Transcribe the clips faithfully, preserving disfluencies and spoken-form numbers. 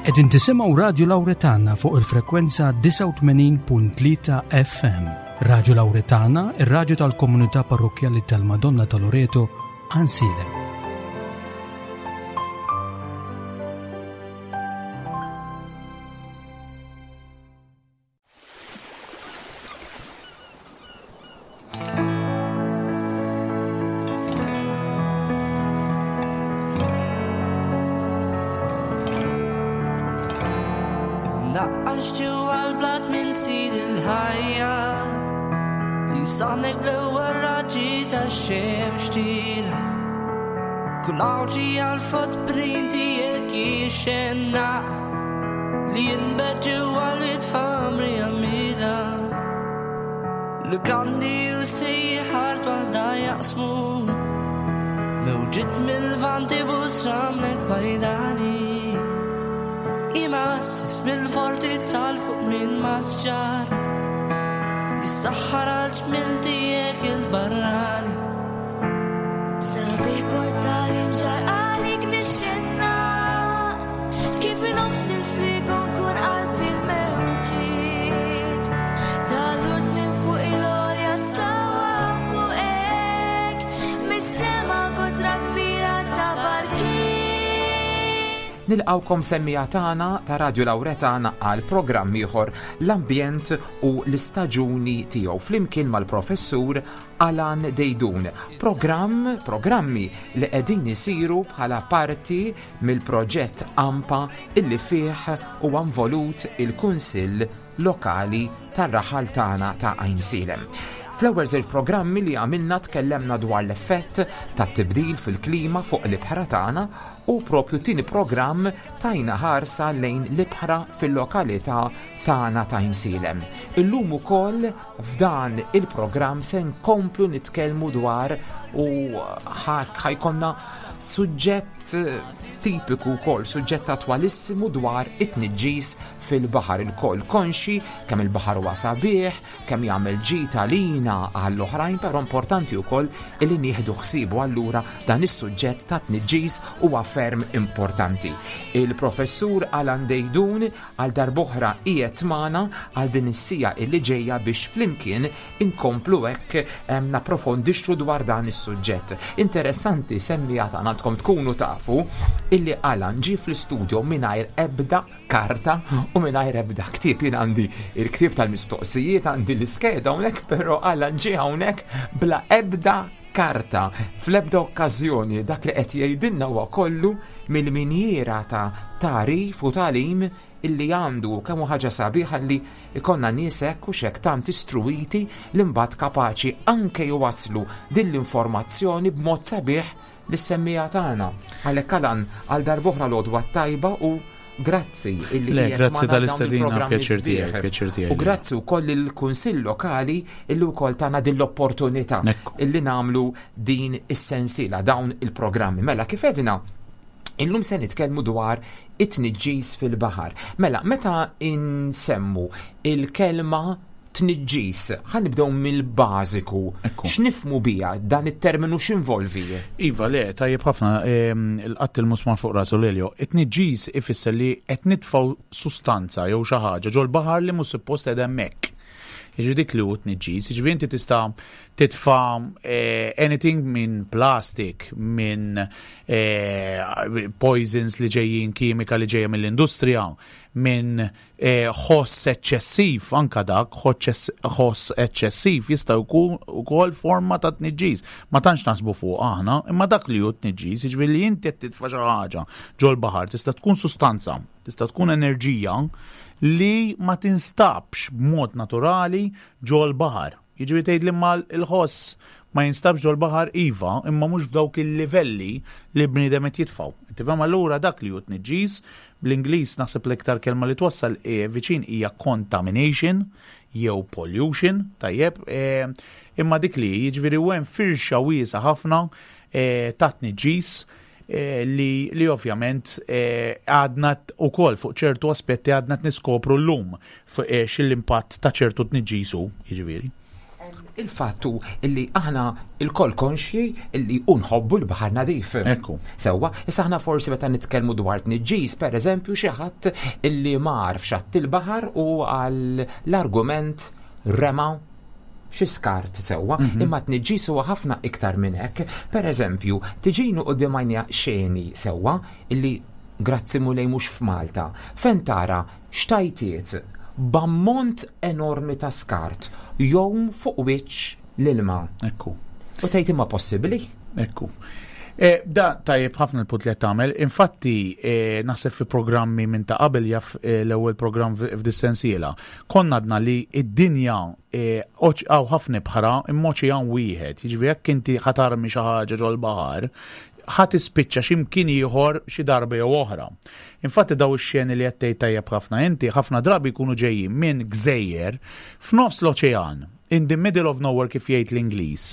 Qegħdin tisimgħu Radio Lauretana fuq il-frekwenza disgħa u tmenin punt tlieta F M. Radio Lauretana, ir-raġu tal-komunità parrokkjali tal-Madonna ta' Loreto, Għajnsielem. Naqqax ġewwa l-blat minn sid il-ħajja li saħnek bl-ewwel raġġi tax-xemx tila. Kull għawġi għal-footprint tiegħek jixxenna li jinbet ġewwa l-wied f'għamri għamida. Lukandi u sejħar waħda jaqsmu mewġiet mil-Lvant ibus ramlek bajdani. Imassis mill-fortizza fuq minn masġar jissaħħar għal ġmil tiegħek il-barrani. Sabiħ portali mġar għalik nixxenna kif nofs il-frigo nkun qalbi l-mewġiet tal-urt minn fuq il-olja sawa fuqek mis-sema kotra kbira ta' barkiet. Nilqawkom semmiegħa tagħna ta' Radio Lauretana għal programm ieħor, l-ambjent u l-istaġuni tiegħu, flimkien mal-professur Alan Deidun. Programm, programmi li qegħdin isiru bħala parti mill-proġett AMPA illi fih huwa involut il-Kunsill Lokali tar-raħal tagħna ta' Għajnsielem. Fl-ewwel żewġ programmi li għamilna tkellemna dwar l-effett tat-tibdil fil-klima fuq l-ibħra tagħna u propju tieni programm tajna ħarsa lejn l-ibħra fil-lokalità tagħna ta' Għajnsielem. Illum ukoll f'dan il-programm se nkomplu nitkellmu dwar u ħa jkollna suġġett tipiku wkoll, suġġett attwalissimu dwar it-tniġġis fil-baħar. Ilkoll konxji kemm il-baħar huwa sabiħ, kemm jagħmel ġid għalina, għall-oħrajn, però importanti wkoll illi nieħdu ħsiebu, allura dan is-suġġett ta' tniġġis huwa ferm importanti. Il-professur Alan Deidun għal darb'oħra qiegħed magħna għal din is-siegħa illi ġejja biex flimkien inkomplu hekk em, napprofondixxu dwar dan is-suġġett. Interessanti, semmiegħa tagħna, għandkom tkunu tafu illi Alan ġie fl-istudio mingħajr ebda karta u mingħajr ebda ktieb. Jien għandi il-ktieb tal-mistoqsijiet, għandi l-iskeda hawnhekk, però Alan ġie hawnhekk bla ebda karta. Fl-ebda okkażjoni dak li qed jgħidilna huwa kollu mill-minjiera ta' tagħrif u tagħlim illi għandu. Kemm hu ħaġa sabiħa li ikollna nies hekk u xek tant istruwiti li mbagħad kapaċi anke jwaslu din l-informazzjoni b'mod sabiħ lis-semmiegħa tagħna. Għalhekk Alan, għal darb'oħra l-għodwa tajba u grazzi illi Le, qiegħed grazzi magħna dawn tal-istedina, il-programmi pjaċir tiegħi, sbieħ. pjaċir tiegħi. U grazzi wkoll il-Kunsill Lokali illi wkoll tana din l-opportunità Ekku. illi nagħmlu din is-sensiela, dawn il-programmi. Mela, kif edna, illum se nitkellmu dwar it-tniġġis fil-baħar. Mela, meta insemmu il-kelma tniġġis, ħa nibdew mill-bażiku. Ekku. X'nifhmu biha dan it-terminu, x'involvi? Iva, le, tajjeb ħafna, em, il-qatt il-musmar fuq rasu, Lelio. It-tniġġis ifisser li qed nitfgħu sustanza jew xi ħaġa ġol-baħar li mhux suppost qed hemmhekk. Jiġri dik li hu tniġġis, jiġifieri inti tista' titfa' eh, anything minn plastic, minn eh, poisons li ġejjin, kimika li ġejja mill-industrija, minn eh, ħoss eċċessiv, anka dak ħoss eċċessiv jista' jkun ukoll forma ta' tniġġis. Ma tantx naħsbu fuq aħna, imma dak li hu tniġġis, jiġifieri li inti qed titfa' xi ħaġa ġol-baħar, tista' tkun sustanza, tista' tkun enerġija li ma tinstabx b'mod naturali ġol-baħar. Jiġifieri tgħid li ma l-ħoss ma jinstabx ġol-baħar, iva, imma mhux f'dawk il-livelli li bniedem qed jitfgħu. Tifhem, allura dak li hu tniġġis, bl-Ingliż naħseb l-iktar kelma li twassal e, viċin hija contamination jew pollution, tajjeb, e, imma dik li jiġifieri u hemm firxa wiesa ħafna e, ta' tniġġis eh, li, li ovvjament eh, għadna u kol fuq ċertu aspetti għadna t-niskopru l-lum fuq eh, xil-impatt ta' ċertu tniġġisu, jiġifieri. Il-fattu illi aħna ilkoll konxji illi nħobbu l-baħar nadif. Ekku. Sewwa, issa aħna forsi meta nitkellmu dwar tniġġis, per eżempju, xi ħadd illi mar f'xatt il-baħar u għal l-argument rema xi skart sewwa, Mhm. imma tniġġis huwa ħafna iktar minn hekk. Per eżempju, tiġini quddiem għajnija xeni sewwa illi grazzi Mulej mhux f'Malta, fejn tara xtajtiet b'ammont enormi ta' skart jgħum fuq wiċċ l-ilma. Ekku. U tgħid imma possibbli? Ekku. E, da tajjeb ħafna l-punt li qed tagħmel. Infatti, e, naħseb fi programmi minn ta' qabel jaf e, l-ewwel programm f'dis-sensiela. Konna għadna li id-dinja hawn ħafna ibħra imma oċean wieħed. Jiġifieri jekk inti ħa tarmi xi ħaġa ġol-baħar, ħa tispiċċa xi mkien ieħor xi darba jew oħra. Infatti daw ix-xeni li qed tgħid tajjeb ħafna inti ħafna drabi jkunu ġejjin minn gżejjer f'nofs l-oċean, in the middle of nowhere kif jgħid l-Ingliż.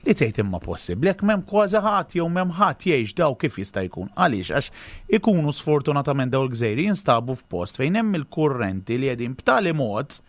Li tgħid imma possibbli jekk m'hemm kważi ħadd jew m'hemm ħadd jgħix daw kif jista' jkun. Għaliex għax ikunu sfortunatament daw il-gżejjer jinstabu f'post fejn hemm il-kurrenti li qegħdin b'tali mod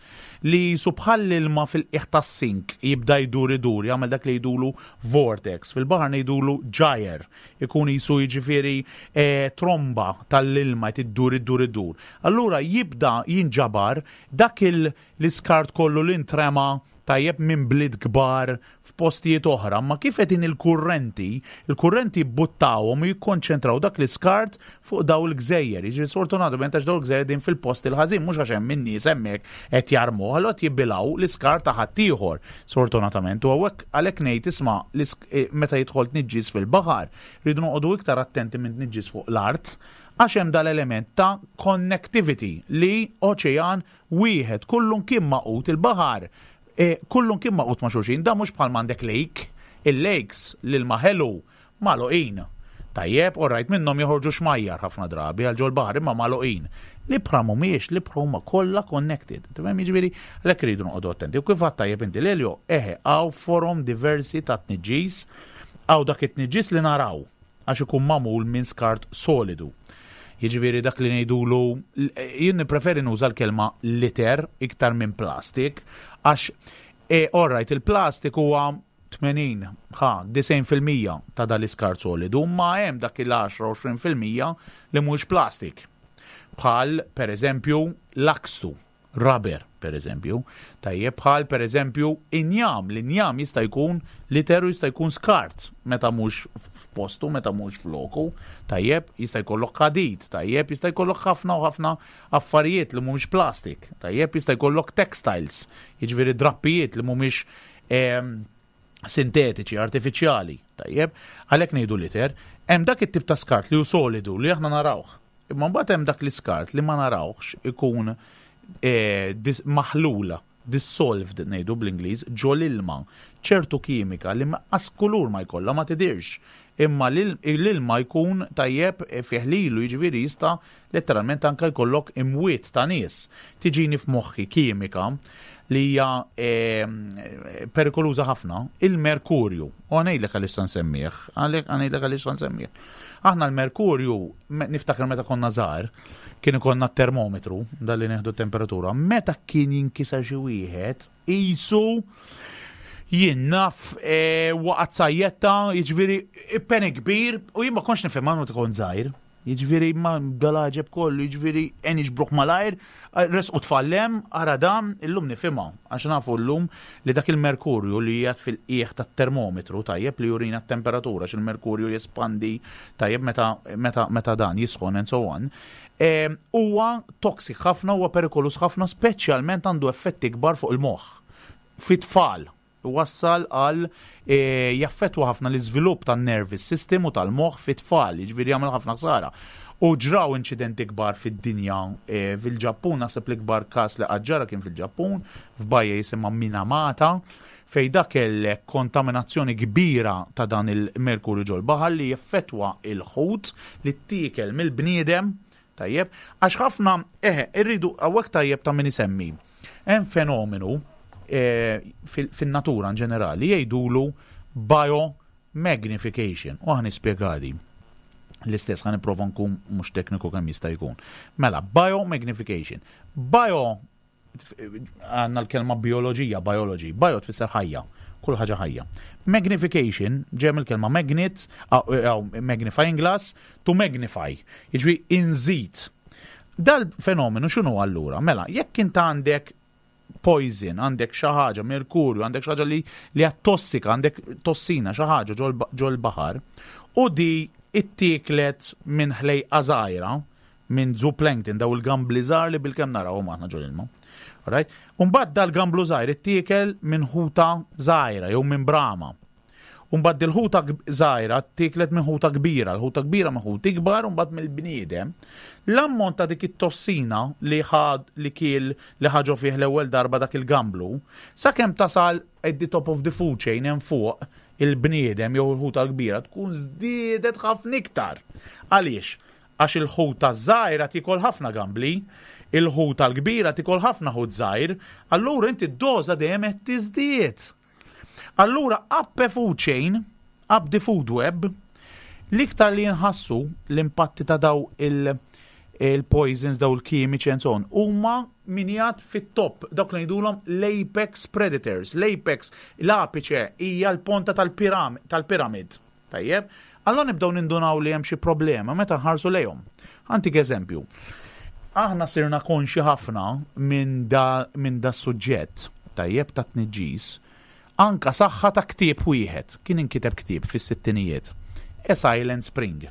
li qisu bħal ilma fil-qiegħ tas-sink jibda jdur idur, jagħmel dak li jgħidulu vortex. Fil-baħar ngħidulu gyre, ikun qisu jiġifieri eh, tromba tal-ilma tiddur iddur iddur. Allura jibda jinġabar dak l-iskart kollu li ntrema tajjeb minn bliet kbar f'postijiet oħra, ma kif qegħdin il-kurrenti, il-kurrenti buttawhom u jikkonċentraw dak l-iskart fuq daw il-gżejjer. Jiġri sfortunatament għax daw il-gżejjer din fil-post il-ħażin mhux għax hemm in-nies hemmhekk qed jarmu, allura qed jibilgħu l-iskart ta' ħaddieħor. Sfortunatament u hawnhekk għalhekk ngħid isma' eh, meta jidħol tniġġis fil-baħar, rridu noqogħdu iktar attenti minn tniġġis fuq l-art għax hemm dal-element ta' connectivity li oċean wieħed kullum kien magħqud il-baħar E, kullum kien magħqud ma' xulxin, da mhux bħal m'għandek lake, il-lakes l-ilma ħelu magħluqin. Tajjeb, alright, minnhom joħorġu xmajjar ħafna drabi għal ġol-baħar imma magħluqin. L-ibħra mhumiex, l-ibħra huma kollha connected. Tifhem jiġifieri għalhekk iridu noqogħdu attenti. U kif għedt tajjeb inti Lelio, eħe, hawn forom diversi ta' tniġġis, hawn dak it-tniġġis li naraw għax ikun magħmul minn skart solidu. Jiġifieri dak li ngħidulu jien nippreferi nuża l-kelma litter iktar minn plastik għax e, alright, il-plastik huwa tmenin, ħa, disgħin fil-mija ta' dal-iskart solidu, ma hemm dak il-għaxra għoxrin fil-mija li mhux plastik. Bħal, per eżempju, lakstu, rubber, per eżempju. Tajjeb, bħal, per eżempju, injam. L-injam jista' jkun litter u jista' jkun skart meta mhux f'postu, meta mhux f'loku. Tajjeb, jista' jkollok ħadid, tajjeb, jista' jkollok ħafna u ħafna affarijiet li mhumiex plastik. Tajjeb, jista' jkollok textiles, jiġifieri drappijiet li mhumiex ehm, sintetiċi, artifiċjali. Tajjeb, għalhekk ngħidu litter, hemm dak it-tip ta' skart li hu solidu li aħna narawh. Imma mbagħad hemm dak l-iskart li ma narawhx ikun eh, dis maħlula, dissolved ngħidu bl-Ingliż, ġol ilma, ċertu kimika li lanqas kulur ma jkollha ma tidirx. Imma l-ilma jkun tajjeb fih lilu jiġifieri jista' letteralment anka jkollok imwiet ta' nies. Tiġini f'moħħi kimika li hija eh, perikoluża ħafna, il-merkurju. U ngħidlek għaliex nsemmih, għalhekk ngħidlek għaliex nsemmih. Aħna l-merkurju, niftakar meta konna żgħar, kien ikollna termometru, dalli neħdu temperatura, meta kien jinkisar xi wieħed, qisu jien naf e, waqgħet sajjetta, jiġifieri panic kbir, u jien ma kontx nifhem meta kont żgħir. Jiġifieri ma dal-għaġeb kollu, jiġifieri en iġbruħ malajr, resqu tfallem, ara dam, illum nifhimha, għax nafu llum li dak il-merkurju li qiegħed fil-qiegħ tat-termometru, tajjeb li jurina t-temperatura, għax il-merkurju jespandi, tajjeb meta, meta, meta dan jisħon and so on. E, huwa toxic ħafna, huwa perikolus ħafna, speċjalment għandu effetti kbar fuq il-moħħ. Fit-tfal, wassal għal e, jaffetwa ħafna l-iżvilupp tan-nervous system u tal-moħħ fit-tfal, jiġifieri jagħmel ħafna ħsara. U ġraw inċidenti kbar fid-dinja e, fil-Ġappun, naħseb l-ikbar każ li ġara kien fil-Ġappun, f'bajja jisimha Minamata, fej dak kellek kontaminazzjoni kbira ta' dan il-merkurju ġol-baħar li jeffettwa il-ħut li ttiekel mill-bniedem, tajjeb, għax ħafna, eħe, irridu hawnhekk tajjeb ta' min isemmi. Hemm fenomenu eh, fin-natura in ġenerali jgħidulu biomagnification. U ħa nispjega di. L-istess ħa nipprova nkun mhux tekniku kemm jista' jkun. Mela, biomagnification. Bio għandna l-kelma bioloġija, biology. Bio tfisser ħajja. Kull ħaġa ħajja. Magnification, ġej mill-kelma magnet, magnifying glass, to magnify, jiġifieri inżid. Dal-fenomenu x'inhu allura? Mela, jekk int għandek poison, għandek xi ħaġa, merkurju, għandek xi ħaġa li li hija tossika, għandek tossina, xi ħaġa ġol-baħar, u di ittieklet minn ħlejqa żgħira, minn zooplankton, daw il-gambli żgħar li bilkemm narawhom aħna ġol-ilma. Right? Umbagħad dal-gamblu żgħir ittiekel minn ħuta żgħira jew minn brama. Umbagħad dil-ħuta żgħira ttieklet minn ħuta kbira, l-ħuta kbira minn ħut ikbar, umbagħad mill-bniedem. L-ammont ta' dik it-tossina li ħad li kiel li ħa ġo fih l-ewwel darba dak il-gamblu, sakemm tasal at the top of the food chain hemm fuq il-bniedem jew il-ħuta l-kbira tkun żdiedet ħafna iktar. Għaliex? Għax il-ħuta żgħira tikol ħafna gambli, il-ħuta l-kbira tikol ħafna ħut żgħir, allura inti d-doża dejjem qed tiżdied. Allura up a food chain, up the food web, l-iktar li nħassu l-impatti ta' daw il- il-poisons, daw il-kimiċi and so on, huma min qiegħed fit-top, dawk li ngħidulhom l-apex predators. L-apex, l-apiċe hija l-ponta tal-piramid. Tajjeb? Allora nibdew nindunaw li hemm xi problema meta nħarsu lejhom. Ħa ntik eżempju. Aħna sirna konxi ħafna minn da, min da suġġett, tajjeb, ta' tniġġis, anka saħħa ta' ktieb wieħed, kien inkiteb ktieb fis-sittinijiet. A Silent Spring.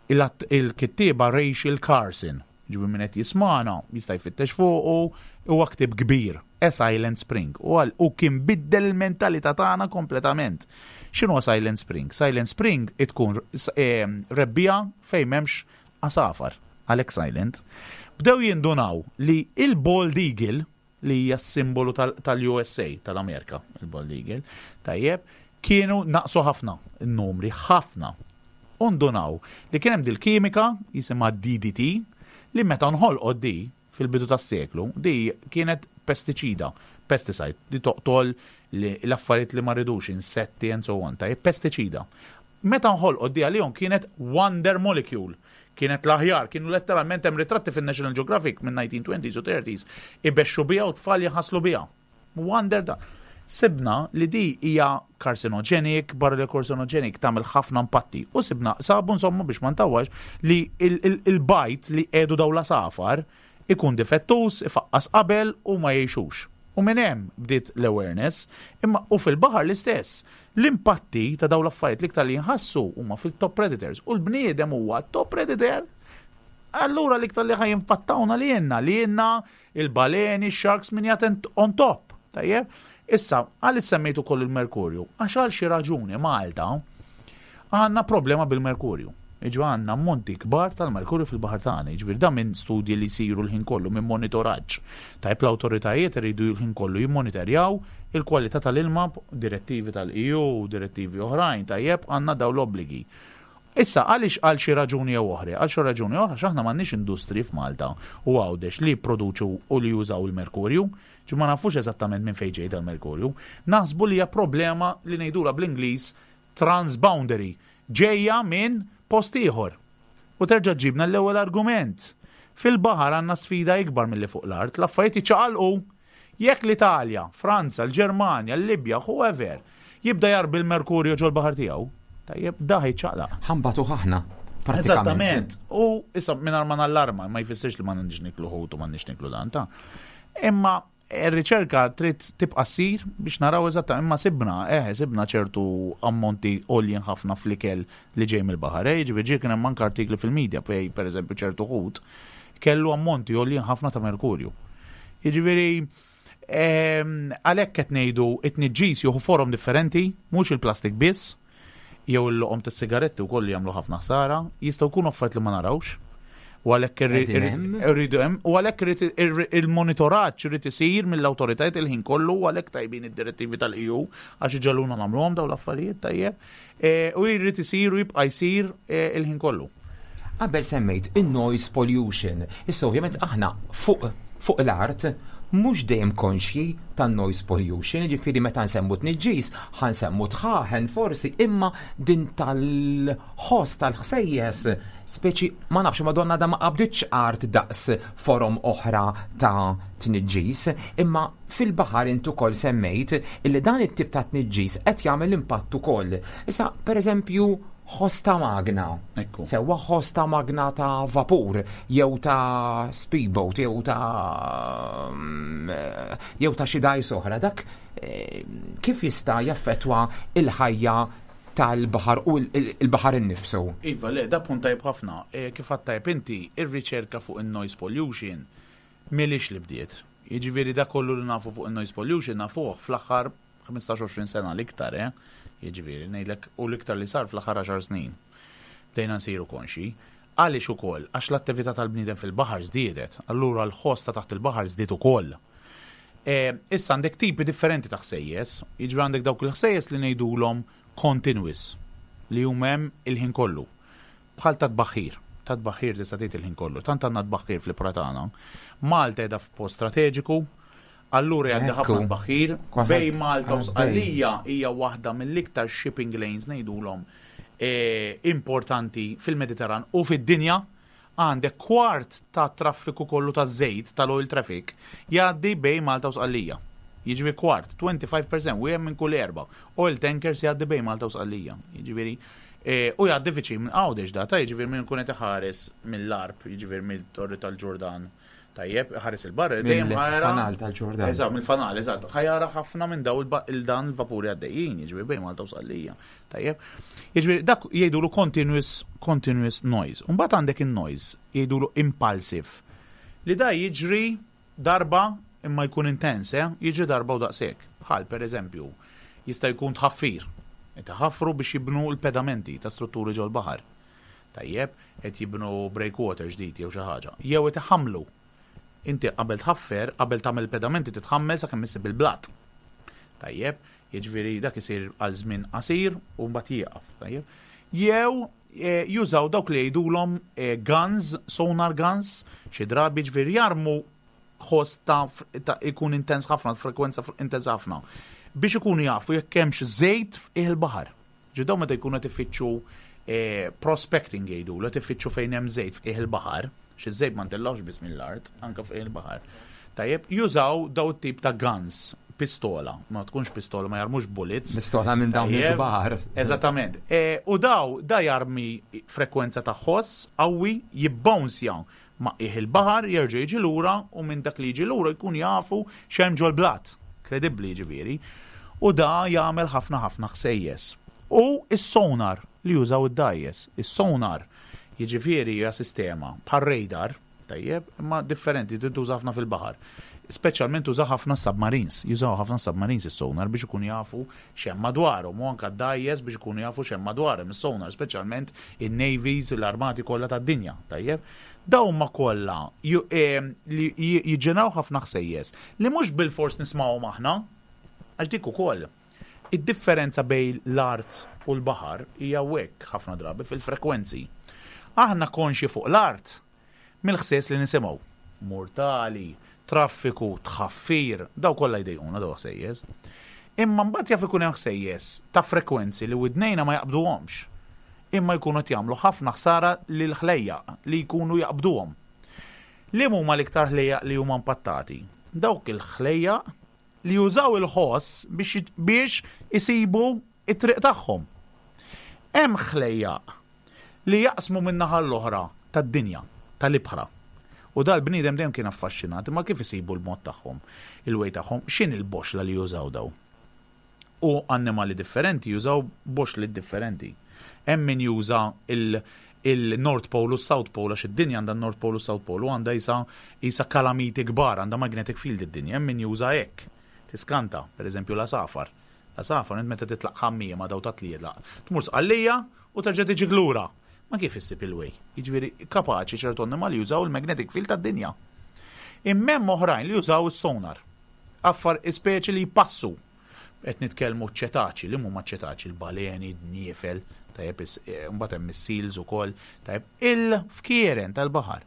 Il-kittieba Rachel Carson, ġibu min qed jismagħna, jista' jfittex fuqu, huwa ktieb kbir, A Silent Spring. U għal u kien biddel il-mentalità tagħna kompletament. X'inhu Silent Spring? Silent Spring tkun rebbiegħa fejn m'hemmx għasafar, għalhekk silent. Bdew jindunaw li il-Bald Eagle, li hija simbolu tal-U S A, tal-Amerika, il-Bald Eagle, tajjeb, kienu naqsu ħafna, il-numri ħafna. U ndunaw li kien hemm dil-kimika jisimha D D T li meta nħolqot di fil-bidu tas-seklu, di kienet pestiċida, pesticide, li toqtol l-affarijiet li ma rridux, insetti and so on, tajjeb, pestiċida. Meta nħolqot di għalihom kienet wonder molecule, kienet l-aħjar, kienu letteralment hemm ritratti fin-National Geographic minn nineteen twenties u thirties, ibexxu biha u tfal jaħaslu biha. Wonder da. Sibna li di hija carcinogenic, barra li carcinogenic tagħmel ħafna impatti. U sibna, sabu insomma biex ma ntawwax li il-bajd li qiegħdu daw l-għasafar ikun difettus, ifaqqas qabel u ma jgħixux. U minn hemm bdiet l-awareness, imma u fil-baħar l-istess. L-impatti ta' daw l-affarijiet l-iktar li jinħassu huma fil-top predators u l-bniedem huwa top predator. Allura l-iktar li ħa jimpattawna li jenna, li jenna il-baleni, sharks, min qiegħed on top. Tajjeb? Issa, għalli semmejtu koll il-merkurju, għax għal xi raġuni Malta għandna problema bil-merkurju. Iġu għandna ammonti kbar tal-merkurju fil-baħar tagħna, jiġifieri da minn studji li jsiru l-ħin kollu, minn monitoraġġ. Tajb, l-awtoritajiet iridu l-ħin kollu jimmonitorjaw il-kwalità tal-ilma, direttivi tal-E U, direttivi oħrajn, tajjeb, għandna daw l-obbligi. Issa, għaliex għal xi raġuni jew oħra, għal xi raġuni oħra, x'aħna m'għandniex industri f'Malta u Għawdex li jipproduċu u li jużaw il-merkurju, ġi ma nafux eżattament minn fejn ġej dal-merkurju, naħsbu li hija problema li ngħidula bl-Ingliż transboundary, ġejja minn post ieħor. U terġa' ġibna l-ewwel argument. Fil-baħar għandna sfida ikbar milli fuq l-art, l-affarijiet jiċċaqalqu. Jekk l-Italja, Franza, l-Ġermanja, l-Libja, whoever, jibda jarbi l-merkurju ġol-baħar tiegħu, tajjeb, da ħajċaqlaq. Ħa nbatu aħna. Eżattament. U issa minn ma nallarma, ma jfissirx li ma nix niklu ħut u ma nix niklu dan ta' Imma ir-riċerka trid tibqa' ssir biex naraw eżatta, imma sibna, eh, sibna ċertu ammonti għoljin ħafna fl-ikel li ġej mill-baħar. Eh, ġifieri kien hemm anke artikli fil-medja fej pereżempju ċertu ħut kellu ammonti għoljin ħafna ta' merkurju. Jiġifieri għalhekk qed ngħidu it-tniġġis jieħu forom differenti, mhux il-plastik biss, jew il-loqom tas-sigaretti wkoll jagħmlu ħafna ħsara, jistgħu jkunu affarijiet li ma narawx. U għalhekk irridu hemm, u għalhekk il-monitoraġġ irid isir mill-awtoritajiet il-ħin kollu, u għalhekk tajbin id-direttivi tal-E U għax iġegħluna nagħmluhom dawn l-affarijiet, tajjeb. E, u jrid isir u jibqa' jsir e, il-ħin kollu. Qabel semmejt in-noise pollution. Issa ovvjament aħna fuq fuq l-art Mhux dejjem konxji tan-noise pollution, ġifieri meta nsemmu tniġġis, ħa nsemmu dħaħen forsi, imma din tal-ħoss tal-ħsejjes, speċi ma nafx, madonna da ma qabditx art daqs forom oħra ta' tniġġis, imma fil-baħar intu ukoll semmejt illi dan it-tip ta' tniġġis qed jagħmel impatt ukoll. Issa, per eżempju, ħoss ta' magna. Ekku. Sewwa ħoss ta' magna ta' vapur, jew ta' speedboat, jew ta' mm, jew ta' xi dgħajs oħra, dak eh, kif jista' jaffettwa il-ħajja tal-baħar u il-baħar innifsu? Iva, le, da punt tajb ħafna. E, kif għedt tajb inti, ir-riċerka fuq il-noise pollution m'ilhiex li bdiet. Jiġifieri da kollu li nafu fuq il-noise pollution nafuh fl-aħħar ħmistax għoxrin sena l-iktar, eh? Jiġifieri, ngħidlek, u l-iktar li sar fl-aħħar għaxar snin. Bdejna nsiru konxi. Għaliex ukoll? Għax l-attività tal-bniedem fil-baħar żdiedet, allura l-ħoss ta' taħt il-baħar żdied ukoll. E, issa għandek tipi differenti ta' ħsejjes, jiġifieri għandek dawk il-ħsejjes li ngħidulhom continuous, li huma hemm il-ħin kollu. Bħal ta' tbaħħir, ta' tbaħħir tista' tgħid il-ħin kollu. Tant għandna tbaħħir fl-ibħra tagħna. Malta qiegħda f'post strateġiku, allura jgħaddi Ekku. ħafna tbaħħir. Kulħadd Bejn Malta u għaddej. Sqallija hija waħda mill-iktar shipping lanes, ngħidulhom, eh, importanti fil-Mediterran u fid-dinja. Għandek kwart ta' traffiku kollu ta' żejt, tal-oil traffic, jgħaddi bejn Malta u Sqallija. Jiġifieri kwart, twenty-five percent, wieħed minn kull erba. Oil tankers jgħaddi bejn Malta u Sqallija. Jiġifieri, eh, u jgħaddi viċin minn Għawdex da, ta' jiġifieri minn kun qed iħares mill-Għarb, jiġifieri mill-Torri tal-Ġordan. Tajjeb, ħares il-barra, dejjem ħa jara. Mill-fanal tal-Ġordan. Eżatt, mill-fanal, eżatt. Ħa jara ħafna minn daw il-ba- il-dan il-vapuri għaddejjin, jiġifieri bejn Malta u Sqallija. Tajjeb. Jiġifieri dak jgħidulu continuous continuous noise. Mbagħad għandek in-noise jgħidulu impulsive. Li da jiġri darba imma jkun intens, eh? Jiġri darba u daqshekk. Bħal per eżempju, jista' jkun tħaffir. Qed iħaffru biex jibnu l-pedamenti ta' strutturi ġol-baħar. Tajjeb, qed jibnu breakwater ġdid jew xi ħaġa. Jew qed iħammlu. Inti qabel tħaffer, qabel tagħmel pedamenti titħammel sakemm issib il-blat. Tajjeb, jiġifieri dak isir għal żmien qasir u mbagħad jieqaf. Tajjeb. Jew eh, jużaw dawk li jgħidulhom eh, guns, sonar guns, xi drabi ġifieri jarmu ħoss ta', ta' ikun intens ħafna, frekwenza intens ħafna, biex ikunu jafu jekk hemmx żejt f'qiegħ il-baħar. Ġidaw meta jkunu qed ifittxu eh, prospecting jgħidu, qed ifittxu fejn hemm żejt f'qiegħ il-baħar, xi żejt ma ntellgħux biss mill-art, anke f'qiegħ il-baħar. Tajjeb, jużaw daw tip ta' guns, pistola, ma tkunx pistola, ma jarmux bullets. Pistola minn dawn Tajjeb. il-kbar. Eżattament. E, u daw, da jarmi frekwenza ta' ħoss qawwi, jibbounsja ma' qiegħ il-baħar, jerġa' jiġi lura u minn dak li jiġi lura jkun jafu x'hemm ġol-blat. Kredibbli ġifieri. U da jagħmel ħafna ħafna ħsejjes. U is-sonar li jużaw id-dgħajjes. Is-sonar jiġifieri hija sistema bħal radar, tajjeb, imma differenti, tintuża ħafna fil-baħar. Speċjalment tuża ħafna submarines, jużaw ħafna submarines is-sonar biex ikunu jafu x'hemm madwarhom u anke d-dgħajjes biex ikunu jafu x'hemm madwarhom is-sonar, speċjalment in-navies, l-armati kollha tad-dinja, tajjeb. Dawn huma kollha ju- eh, li jiġġeneraw ħafna ħsejjes li mhux bil-fors nismgħuhom aħna, għax dik ukoll. Id-differenza bejn l-art u l-baħar hija hekk ħafna drabi fil-frekwenzi. Aħna konxi fuq l-art mill-ħsejjes li nisimgħu. Murtali, traffiku, tħaffir, daw kollha jdejquna daw ħsejjes. Imma mbagħad jaf ikun hemm ħsejjes ta' frekwenzi li widnejna ma jaqbduhomx. Imma jkunu qed jagħmlu ħafna ħsara lil ħlejjaq li jkunu jaqbduhom. Li huma l-iktar ħlejjaq li huma impattati? Dawk il-ħlejjaq li jużaw il-ħoss biex biex isibu it-triq tagħhom. Hemm ħlejjaq li jaqsmu minn naħa l-oħra tad-dinja, tal-ibħra. U dal-bniedem dejjem kien affaxxinat, imma kif isibu l-mod tagħhom, il-way tagħhom, x'in il-boxla li jużaw daw? U annimali differenti jużaw boxli differenti. Hemm min juża il- il-North Pole u South Pole, għax id-dinja għandha North Pole u South Pole u għandha isa isa kalamiti kbar, għandha magnetic field id-dinja, hemm min juża hekk. Tiskanta, per eżempju l-għasafar. L-għasafar, int meta titlaq ħammija ma daw ta' tlielaq. Tmur Sqallija u terġa' tiġi lura. Ma kif issib il-way? Jiġifieri kapaċi ċertu annimali jużaw il-magnetic field tad-dinja. Imma hemm oħrajn li jużaw is-sonar. Affar speċi li jpassu. Qed nitkellmu ċetaċi, li huma ċetaċi, il-baleni, d-niefel, tajjeb, is- eh, mbagħad hemm is-seals ukoll, tajjeb, il-fkieren tal-baħar.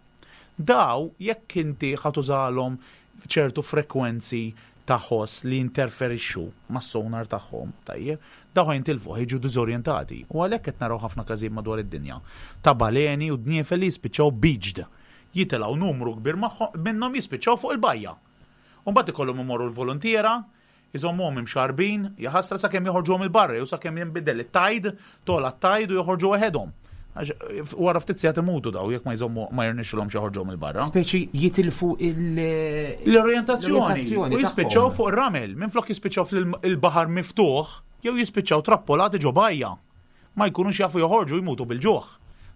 Daw jekk inti ħa tużalhom ċertu frekwenzi ta' ħoss li interferixxu mas-sonar tagħhom, tajjeb, dawn jintilfu, jiġu diżorjentati. U għalhekk qed naraw ħafna każijiet madwar id-dinja ta' baleni u dniefel li jispiċċaw beached. Jitilgħu numru kbir magħhom minnhom, jispiċċaw fuq il-bajja. U mbagħad ikollhom imorru l-volontiera, iżommuhom imxarbin, jaħasra, sakemm joħorġuhom il-barra, u sakemm jinbidel it-tide, tola t-tide u joħorġu waħedhom. Għax wara ftit sigħat imutu daw jekk ma jżommu, ma jirnexxilhomx joħorġuhom il-barra. Speċi jitilfu il- L-orjentazzjoni. U jispiċċaw tagħhom. fuq ir-ramel, minflok jispiċċaw fil-baħar miftuħ, jew jispiċċaw trappolati ġo bajja. Ma jkunux jafu joħorġu, jmutu bil-ġuħ.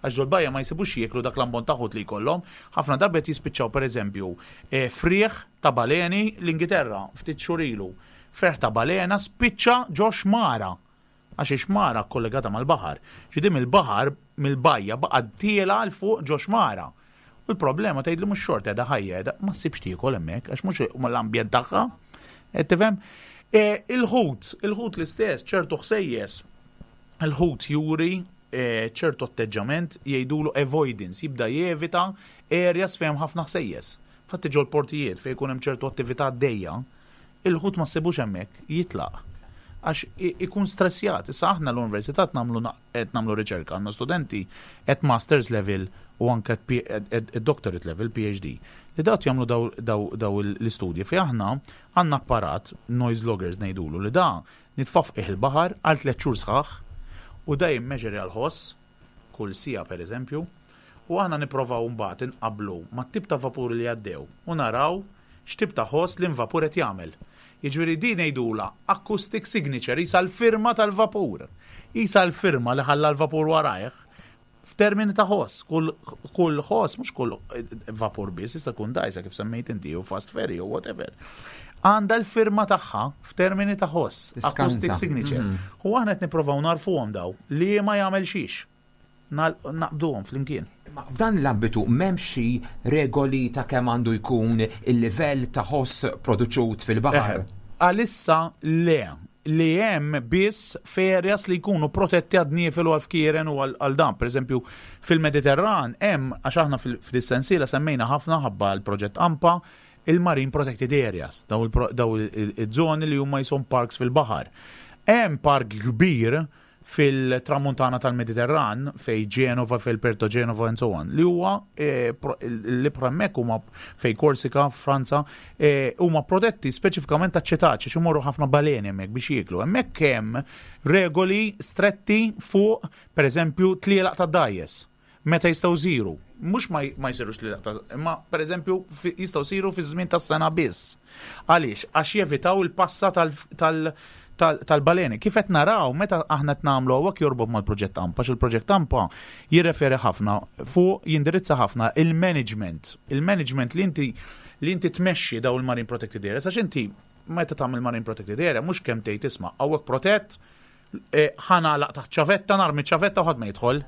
Għax ġol bajja ma jsibux jieklu dak l-ammont ta' ħut li jkollhom. Ħafna darbiet jispiċċaw, pereżempju, eh, frieħ ta' baleni l-Ingilterra ftit xhur ilu. Frieħ ta' balena spiċċa ġo xmara. Għax ix-xmara kollegata mal-baħar. Ġidim il-baħar mill-bajja baqa' tiela 'l fuq ġo xmara. U l-problema tgħid li mhux xorta qiegħda ħajja, qiegħda ma ssibx tiekol hemmhekk għax mhux l-ambjent tagħha. Qed tifhem? E, Il-ħut, il-ħut l-istess, ċertu ħsejjes. Il-ħut juri e, ċertu atteġġament, jgħidulu avoidance, jibda jevita areas fejn ħafna ħsejjes. Fatti ġol portijiet fejn jkun hemm ċertu attività għaddejja, il-ħut ma ssibux hemmhekk, jitlaq. Għax i- ikun stressjat. Issa aħna l-università nagħmlu na- qed nagħmlu riċerka, għandna studenti at masters level u anke at P- at- at at doctorate level, P H D, li dawk jagħmlu daw, daw, daw l-istudji fi aħna għandna apparat, noise loggers ngħidulu, li da nitfaf il-baħar għal tliet xhur sħaħ u da jimmeġeri għal-ħoss kull siegħa, per eżempju, u aħna nipprovaw mbagħad inqablu mat-tip ta' vapuri li għaddew u naraw x'tip ta' ħoss li vapur qed jagħmel. Jiġifieri din ngħidula acoustic signature, isa l-firma tal-vapur. Isa l-firma li ħalla l-vapur warajh f'termini ta' ħoss. Kull kull ħoss, mhux kull eh, vapur biss, jista' jkun dajsa kif semmejt inti u fast ferry u whatever. Għandha l-firma tagħha f'termini ta' ħoss, Tiskanta. acoustic signature. Mhm. U aħna qed nipprovaw narfuhom daw li ma jagħmel xiex. Nal- Naqbduhom flimkien. Ma f'dan l-ambitu m'hemmx xi regoli ta' kemm għandu jkun il-livell ta' ħoss produċut fil-baħar? Eħe. Għalissa le, li hemm biss f'areas li jkunu protetti għad-dniefel u għal-fkieren u għal dan. Per eżempju, fil-Mediterran hemm, għax aħna fil-sensiela semmejna ħafna ħabba l-proġett AMPA, il-Marine Protected Areas, daw il-żoni li huma jisom parks fil-baħar. Hemm park kbir fil-tramuntana tal-Mediterran, fej Genova, fej Porto Genova and so on, li huwa eh, l-ibħra hemmhekk huma fej Korsika, Franza, eh, huma protetti speċifikament ta' ċetaċi, imorru ħafna baleni hemmhekk biex jieklu. Hemmhekk hemm regoli stretti fuq, per eżempju, tlielaq ta' dgħajjes meta jistgħu jsiru. Mhux ma, ma jsirux tlielaq ta', imma per eżempju jistgħu jsiru fi żmien tas-sena biss. Għaliex? Għax jevitaw il-passa tal-, tal tal-baleni. Kif qed naraw meta aħna qed nagħmlu hawnhekk jorbot mal-proġett AMPA, il-proġett AMPA jirreferi ħafna fuq, jindirizza ħafna il-management. Il-management li inti li inti tmexxi daw il-Marine Protected Areas, għax inti meta tagħmel Marine Protected Area mhux kemm tgħid, "Isma', hawnhekk protett, eh, ħa nagħlaq taħt ċavetta, narmi ċavetta u ħadd ma jidħol."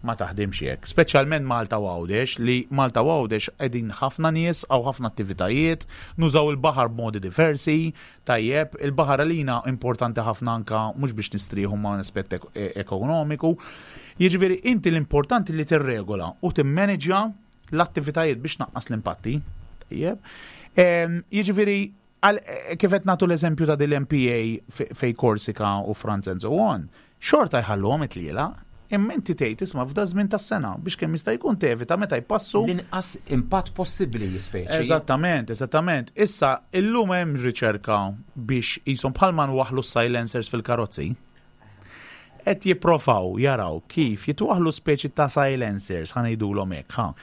Ma taħdimx hekk. Speċjalment Malta u Għawdex, li Malta u Għawdex qegħdin ħafna nies għaw ħafna attivitajiet, nużaw il-baħar b'modi diversi, tajjeb, il-baħar għalina importanti ħafna anka mhux biex nistrieħu ma' aspett e- ekonomiku. Jiġifieri inti l-importanti li tirregola u timmaneġja l-attivitajiet biex naqqas l-impatti. Tajjeb. Jiġifieri eh, kif qed nagħtu l-eżempju ta' dil-M P A fej Korsika u Franza and so on, xorta jħalluhom it-tliela, imma inti tgħid, "Isma', f'da żmien tas-sena", biex kemm jista' jkun tevita meta jpassu. L-inqas impatt possibbli speċi. Eżattament, eżattament. Issa illum hemm riċerka biex jisom bħalma nwaħlu silencers fil-karozzi. Qed jipprovaw jaraw kif jitwaħlu speċi ta' silencers, ħa ngħidulhom hekk, ha.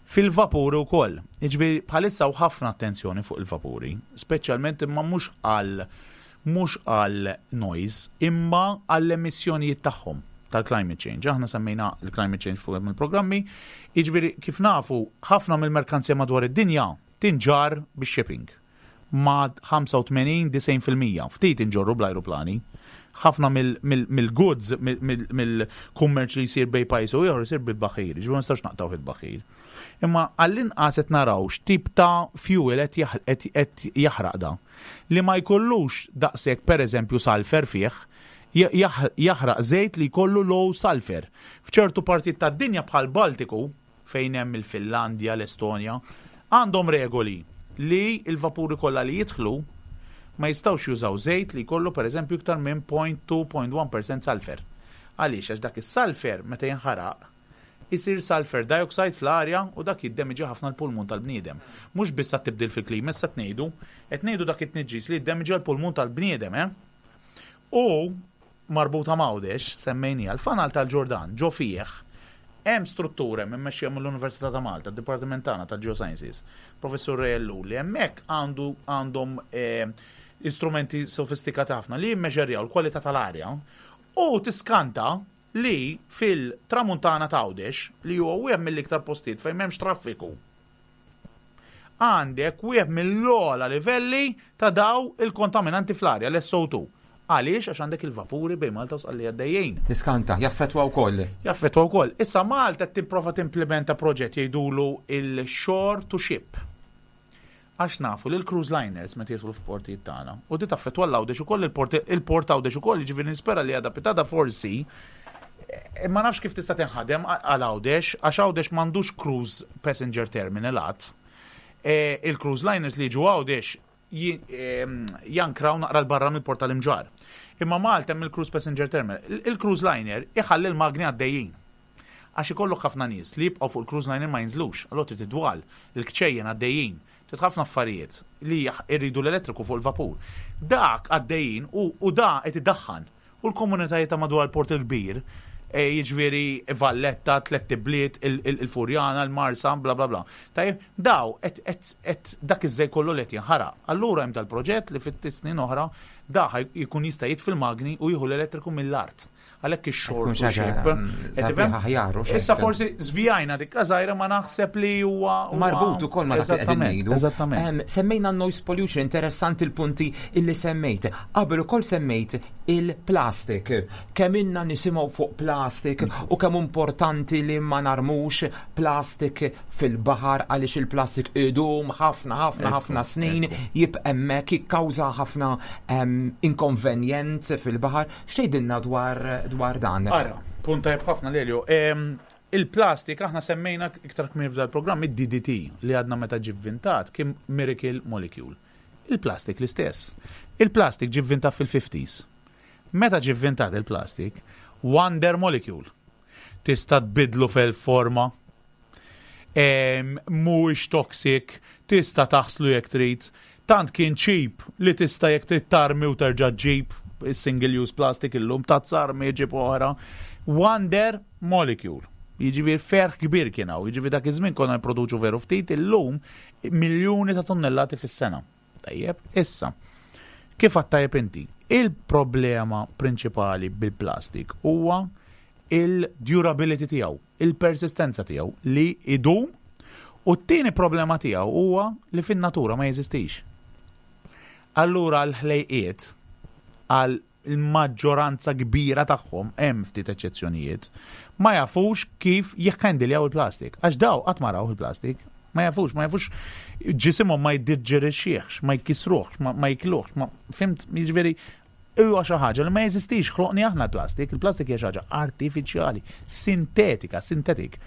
Fil-vapuri wkoll. Jiġifieri bħalissa u ħafna attenzjoni fuq il-vapuri, speċjalment imma mhux għal mhux għal noise, imma għall emissjonijiet tagħhom tal-climate change. Aħna semmejna il-climate change fuq il-programmi, jiġifieri kif nafu, ħafna mill-merkanzija madwar id-dinja tinġar bix-shipping. Ma ħamsa u tmenin disgħin fil-mija, ftit inġorru bl-ajruplani. Ħafna mill-goods, mill-kummerċ li jsir bej pajjiż u ieħor jsir bil-baħir, ġifieri ma nistax naqtaw il-baħir. Imma għall-inqas qed naraw x'tip ta' fuel qed jaħraq da. Li ma jkollux daqshekk, pereżempju, sulfur fih, jaħraq żejt li jkollu low sulfur. F'ċertu partit tad-dinja bħal Baltiku, fejn hemm il-Finlandja, l-Estonja, għandhom regoli li il-vapuri kollha li jidħlu ma jistgħux jużaw żejt li jkollu pereżempju iktar minn zero punt due punt wieħed fil-mija sulfur. Għaliex? Għax dak is-sulfur meta jinħaraq isir sulfur dioxide fl-arja u dak jiddemiġi ħafna l-pulmun tal-bniedem. Mhux biss tibdil fil-klima, issa tnejdu, qed ngħidu dak it-tniġġis li jiddemiġi l-pulmun tal-bniedem, eh? U marbuta m'Għawdex, semmejni l-fanal tal-Ġordan, ġo fih, hemm struttura mmexxija mill-Università ta' Malta, Dipartiment tagħna tal-Geosciences, Professur Ray Ellul, li hemmhekk għandu għandhom eh, istrumenti sofistikati ħafna li jimmeġerjaw l-kwalità tal-arja u tiskanta li fil-tramuntana ta' Għawdex, li huwa wieħed mill-iktar postijiet fejn m'hemmx traffiku, għandek wieħed mill-ogħla livelli ta' daw il-kontaminanti fl-arja, l-S O two. Għaliex? Għax għandek il-vapuri bejn Malta u Sqallija għaddejjin. Tiskanta, jaffetwa wkoll. Jaffetwa wkoll. Issa Malta tipprova timplementa proġett jgħidulu il-shore to ship. Għax nafu li l-cruise liners meta jaslu f'portijiet tagħna u di taffetwa l-Għawdex ukoll, il-port il-port Għawdex ukoll, jiġifieri nispera li għada pitgħada forsi eh, ma nafx kif tista' tinħadem għal Għawdex, għax Għawdex m'għandux cruise passenger terminal għad. Eh, Il-cruise liners li jiġu Għawdex ji- ehm, jankraw naqra 'l barra mill-port tal-Imġarr. Imma Malta hemm il-cruise passenger terminal. Il- Il-cruise liner iħalli l-magni għaddejjin. Għax ikollok ħafna nies li jibqgħu fuq il-cruise liner, ma jinżlux, allura trid idwal, il-kċejjen għaddejjin, trid ħafna affarijiet li jaħ- irridu l-elettriku fuq il-vapur. Dak għaddejjin u, u da qed iddaħħan. U l-komunitajiet ta' madwar il-Port il-Kbir, e, jiġifieri Valletta, Tlett Ibliet, il- il- il-Furjana, il-Marsa, bla bla bla. Tajjeb, daw et, et, et dak iż-żejt kollu li qed jinħaraq. Allura hemm dal-proġett li fit snin oħra da ħaj jkun jista' jitfi l-magni u jieħu l-elettriku mill-art. Għalhekk ix-shore Tkun to xi ħaġa, ship. mm, Qed sabiħa tifhem? aħjar u xejn. Issa forsi żvijajna dik żgħira, ma naħseb li huwa huwa- Marbut ukoll ma dak li qegħdin Eżattament, ngħidu. Eżattament. Em, Semmejna noise pollution, interessanti il-punti illi semmejt. Qabel ukoll semmejt il-plastik. Kemm inna nisimgħu fuq plastik u kemm importanti li ma narmux plastik fil-baħar, għaliex il-plastik idum ħafna ħafna ħafna snin jibqa' hemmhekk, jikkawża ħafna em, inkonvenjent fil-baħar. X'tgħidilna dwar dwar dan? Ara, punt tajjeb ħafna, Lelio. Em, Il-plastik, aħna semmejna iktar kmieni f'dal programm id-D D T li għadna meta ġie vvintat kien miracle molecule. Il-plastik l-istess. Il-plastik ġie vvintat fil-fifties. Meta ġie vvintat il-plastik, wonder molecule. Tista' tbidlu fil-forma, em, mhuwiex toxic, tista' taħslu jekk trid. Tant kien cheap li tista' jekk trid tarmi u terġa' ġġib single use plastic illum ta' tarmi ġib oħra. Wonder molecule. Jiġifieri ferħ kbir kien hawn, jiġifieri dak iż-żmien konna nipproduċu veru ftit, illum miljuni ta' tonnellati fis-sena. Tajjeb, issa. Kif għedt tajjeb inti? Il-problema prinċipali bil-plastik huwa il-durability tiegħu, il-persistenza tiegħu li idum, u t-tieni problema tiegħu huwa li fin-natura ma jeżistix. Allura l-ħlejqiet, għal il-maġġoranza kbira tagħhom, hemm ftit eċċezzjonijiet, ma jafux kif jikhandiljaw il-plastik. Għax daw qatt ma raw il-plastik, ma jafux, ma jafux, ġisimhom ma jiddiġerixxihx, ma jkisruhx, ma, ma jikluhx, ma fhimt, jiġifieri huwa xi ħaġa li ma jeżistix, ħloqni aħna l-plastik, il-plastik hija xi ħaġa artifiċjali, sintetika, sintetik.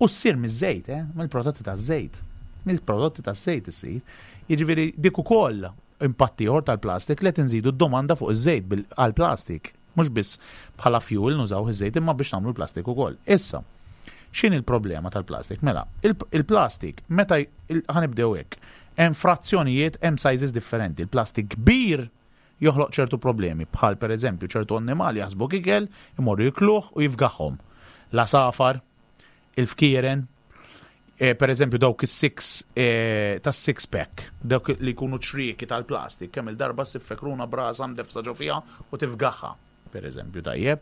U ssir miż-żejt, eh? Mill-prodotti taż-żejt. Mill-prodotti taż-żejt issir. Jiġifieri dik ukoll impatt ieħor tal-plastik li qed inżidu d-domanda fuq iż-żejt bil- għall-plastik. Mhux biss bħala fuel nużaw iż-żejt, imma biex nagħmlu l-plastik ukoll. Issa, x'inhi l-problema tal-plastik? Mela, il- il-plastik, meta il- ħa nibdew hekk, hemm frazzjonijiet, hemm sizes differenti. Il-plastik kbir joħloq ċertu problemi, bħal per eżempju ċertu annimali jaħsbu ikel, imorru jikluh u jifgaħhom. L-għasafar, il-fkieren, eh, per eżempju dawk is-six eh, tas six pack, dawk li jkunu ċrieki tal-plastik, kemm il-darba ssib fekruna brasa mdefsa ġo fiha u tifgaħha, per eżempju, tajjeb.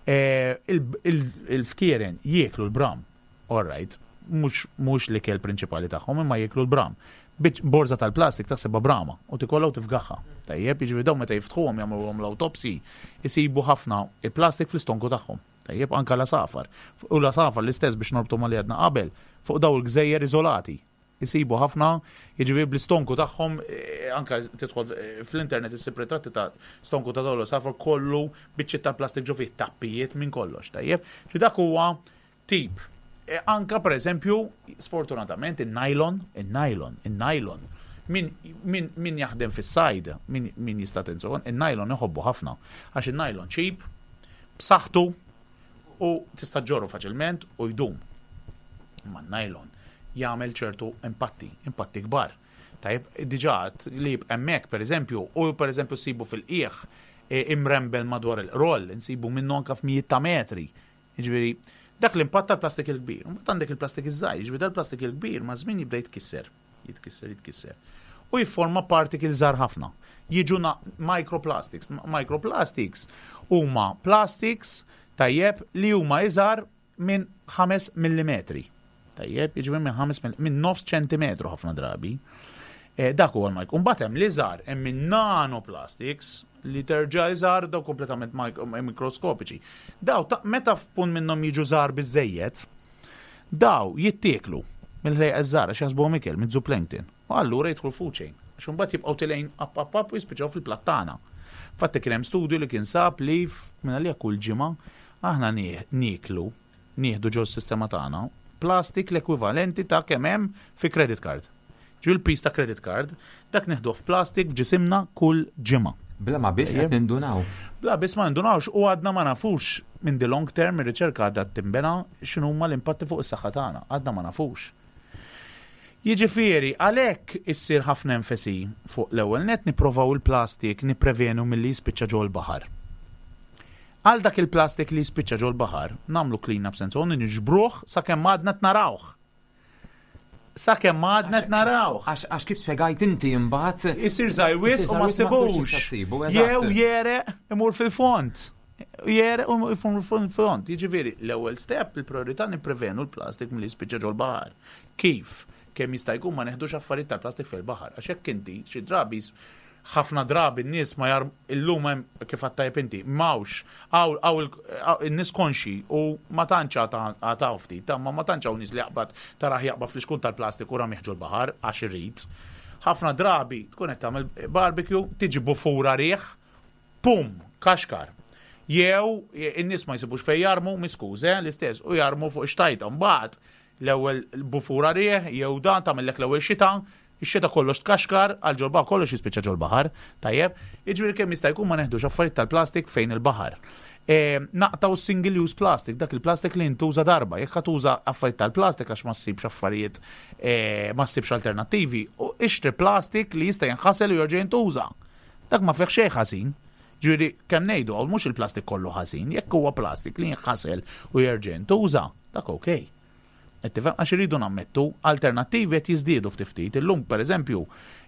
Eh, il- il- Il-fkieren jieklu l-bram, all right, mhux mhux l-ikel prinċipali tagħhom, imma jieklu l-bram. Biċ borza tal-plastik taħsebha brama u tikollha u tifgaħha. Tajjeb, jiġifieri dawn meta jiftħuhom, jagħmluhom l-autopsy, isibu ħafna il-plastik fl-istonku tagħhom. Tajjeb, anka l-għasafar. U l-għasafar l-istess, biex norbtu ma li għedna qabel, fuq daw il-gżejjer iżolati. Isibu ħafna, jiġifieri bl-istonku tagħhom, eh, anka tidħol eh, fl-internet issib ritratti ta' stonku ta' dawn l-għasafar kollu biċċiet ta' plastik ġo fih, tappijiet minn kollox, tajjeb. Xi dak huwa tip. E anka per eżempju, sfortunatament, il-nylon, il-nylon, il-nylon. Min, min, min jaħdem fis-sajd, min, min jista' tinżon, il-nylon iħobbu ħafna. Għax il-nylon cheap, b'saħħtu u tista' ġorru faċilment u jdum. Ma nylon jagħmel ċertu impatti, impatti kbar. Tajb, diġà li hemmhekk pereżempju, u pereżempju sibu fil-qiegħ e, imrembel madwar il-roll, nsibu minnu anka f'mijiet ta' metri. Jiġifieri, dak l-impatt tal-plastik il-kbir. Mbagħad għandek il-plastik iż-żgħir, jiġifieri dal-plastik il-kbir ma' żmien jibda jitkisser. Jitkisser, jitkisser. U jifforma particles żgħar ħafna. Jiġu microplastics. Microplastics huma plastics, tajjeb, li huma iżgħar minn ħames millimetri. Tajjeb, jiġifieri minn ħames minn nofs ċentimetru ħafna drabi. E, dak huwa l-micro. Mbagħad hemm l-iżgħar, hemm minn nanoplastics li terġa' iżgħar, daw kompletament mikroskopiċi. Daw ta' meta f'punt minnhom jiġu żgħar biżejjed, daw jittieklu mill-ħlejqa żgħar għax jaħsbuhom ikel, mid-zooplankton. U allura jidħlu food chain. Għax imbagħad jibqgħu telgħin up up up u jispiċċaw fil-plattana. Fatti kien hemm studju li kien sab li minn għalija kull ġimgħa aħna nieklu, nieħdu ġo s-sistema tagħna plastik l-ekwivalenti ta' kemm hemm fi credit card. Ġu l-piż ta' credit card, dak nieħdu f'plastik f'ġisimna kull ġimgħa. Bla ma biss qed nindunaw. Bla biss ma nindunawx, u għadna ma nafux minn the long term, ir-riċerka għadha timbena, x'inhuma l-impatti fuq is-saħħa tagħna, għadna ma nafux. Jiġifieri, għalhekk issir ħafna enfasi fuq l-ewwel net nipprovaw il-plastik nipprevenu milli jispiċċa ġol baħar. Għal dak il-plastik li jispiċċa ġol baħar, nagħmlu clean up sense, niġbruh sakemm għadna narawh. Sakemm għadna narawh. Għax kif spjegajt inti imbagħad isir żgħir wisq u ma ssibux. Jew jegħreq imur fil-fond. Jegħreq u imur fil-fond. Jiġifieri, l-ewwel step, il-priorità nipprevenu l-plastik milli jispiċċa ġol baħar. Kif? Kemm jista' jkun ma neħdux affarijiet tal-plastik fil-baħar. Għax hekk inti xi drabi, ħafna drabi n-nies ma jar illum hemm kif għattajb inti, mawx, għaw n-nies konxi u ma tantx għataw ftit, ta' ma ma tantx hawn nies li jaqbad taraħ jaqbad fl-iskun tal-plastik u ram jeħġu l-baħar għax irrid. Ħafna drabi tkun qed tagħmel barbecue, tiġi bufura riħ, pum, kaxkar. Jew in-nies ma jsibux fejn jarmu, miskuże, l-istess, u jarmu fuq xtajta. Mbagħad l-ewwel bufura riħ, jew dan tagħmellek l-ewwel xita, ix-xita kollox tkaxkar, għal ġol kollox jispiċċa ġol baħar, tajjeb, jiġifieri kemm jista' jkun ma neħdux affarijiet tal-plastik fejn il-baħar. E, naqtaw single use plastic, dak il-plastik li jintuża darba, jekk tuża affarijiet tal-plastik għax ma ssibx affarijiet, e, ma ssibx alternattivi, u ixtri plastik li jista' jinħasel u jerġa' jintuża. Dak ma fih xejn ħażin. Ġifieri kemm ngħidu għal mhux il-plastik kollu ħażin, jekk huwa plastik li jinħasel u jerġa' jintuża, dak okej. Qed tifhem? Għax iridu nammettu, alternattivi qed jiżdiedu ftit ftit. Illum, pereżempju,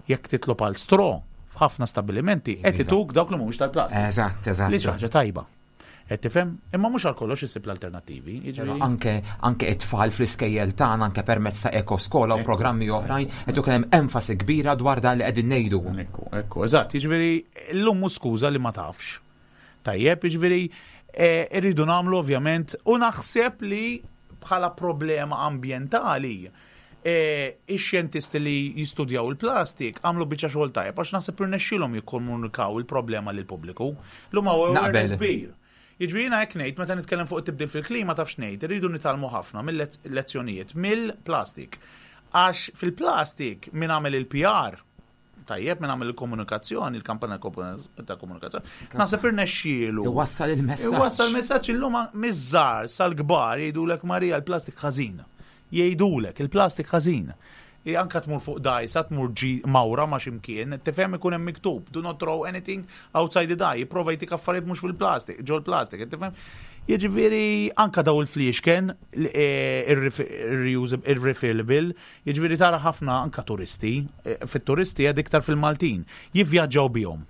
jekk titlob għal straw f'ħafna stabilimenti qed Iva. ituk dawk li mhumiex tal-plastik. Eżatt, eżatt. Li xi ħaġa tajba. Qed tifhem? Imma mhux għal kollox issib l-alternattivi. Però Jiġifieri anke anke it-tfal fl-iskejjel tagħna, anke permezz ta' ekoskola u programmi oħrajn, qed ikun hemm enfasi kbira dwar dan li qegħdin ngħidu. Ekku, ekku, eżatt, jiġifieri llum mhux skuża li ma tafx. Tajjeb, jiġifieri eh, irridu nagħmlu ovvjament u naħseb li bħala problema ambjentali eh, ix-xjentisti li jistudjaw il-plastik għamlu biċċa xogħol tajjeb għax naħseb irnexxielhom jikkomunikaw il-problema lill-pubbliku. Llum hawn awareness Naqbel. kbir. Jiġifieri jiena hekk ngħid, meta nitkellem fuq it-tibdil fil-klima, taf x'ngħid, irridu nitgħallmu ħafna mill-lezzjonijiet mill-plastik. Għax fil-plastik min għamel il-P R, tajjeb, min għamel il-komunikazzjoni, il-kampanja ta' komunikazzjoni, naħseb irnexxielu. Iwassal il-messaġġ. Iwassal il-messaġġ, illum miż-żgħar sal-kbar jgħidulek, "Marija, il-plastik ħażin." Jgħidulek il-plastik ħażin. I anka tmur fuq dajsa, tmur ġi mawra ma ximkien, tifhem, ikun hemm miktub, "Do not throw anything outside the dye", jipprova jtik affarijiet mhux fil-plastik, ġol plastik, tifhem? Jiġifieri anka daw il-fliexken, il-refillable, jiġifieri tara ħafna anka turisti, eh, fit-turisti għad iktar fil-Maltin, jivvjaġġaw bihom.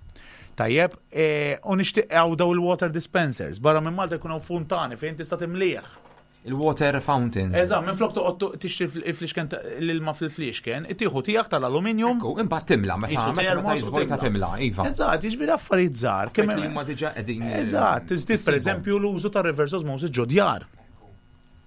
Tajjeb, eh, u nixtieq għaw daw il-water dispensers, barra minn Malta jkunu funtani fejn tista' timlieħ. Il-water fountain. Eżatt, minn flok toqgħod tixtri il-fliexken, l-ilma fil-fliexken, tieħu tiegħek tal-aluminium. Ekku, imbagħad timla meta Isu meta meta termos u jiżvojta timla, iva. Eżatt, jiġifieri affarijiet żgħar. Kemm li huma diġà qegħdin Eżatt, tiżdied pereżempju l-użu ta' reverse osmosis ġo djar.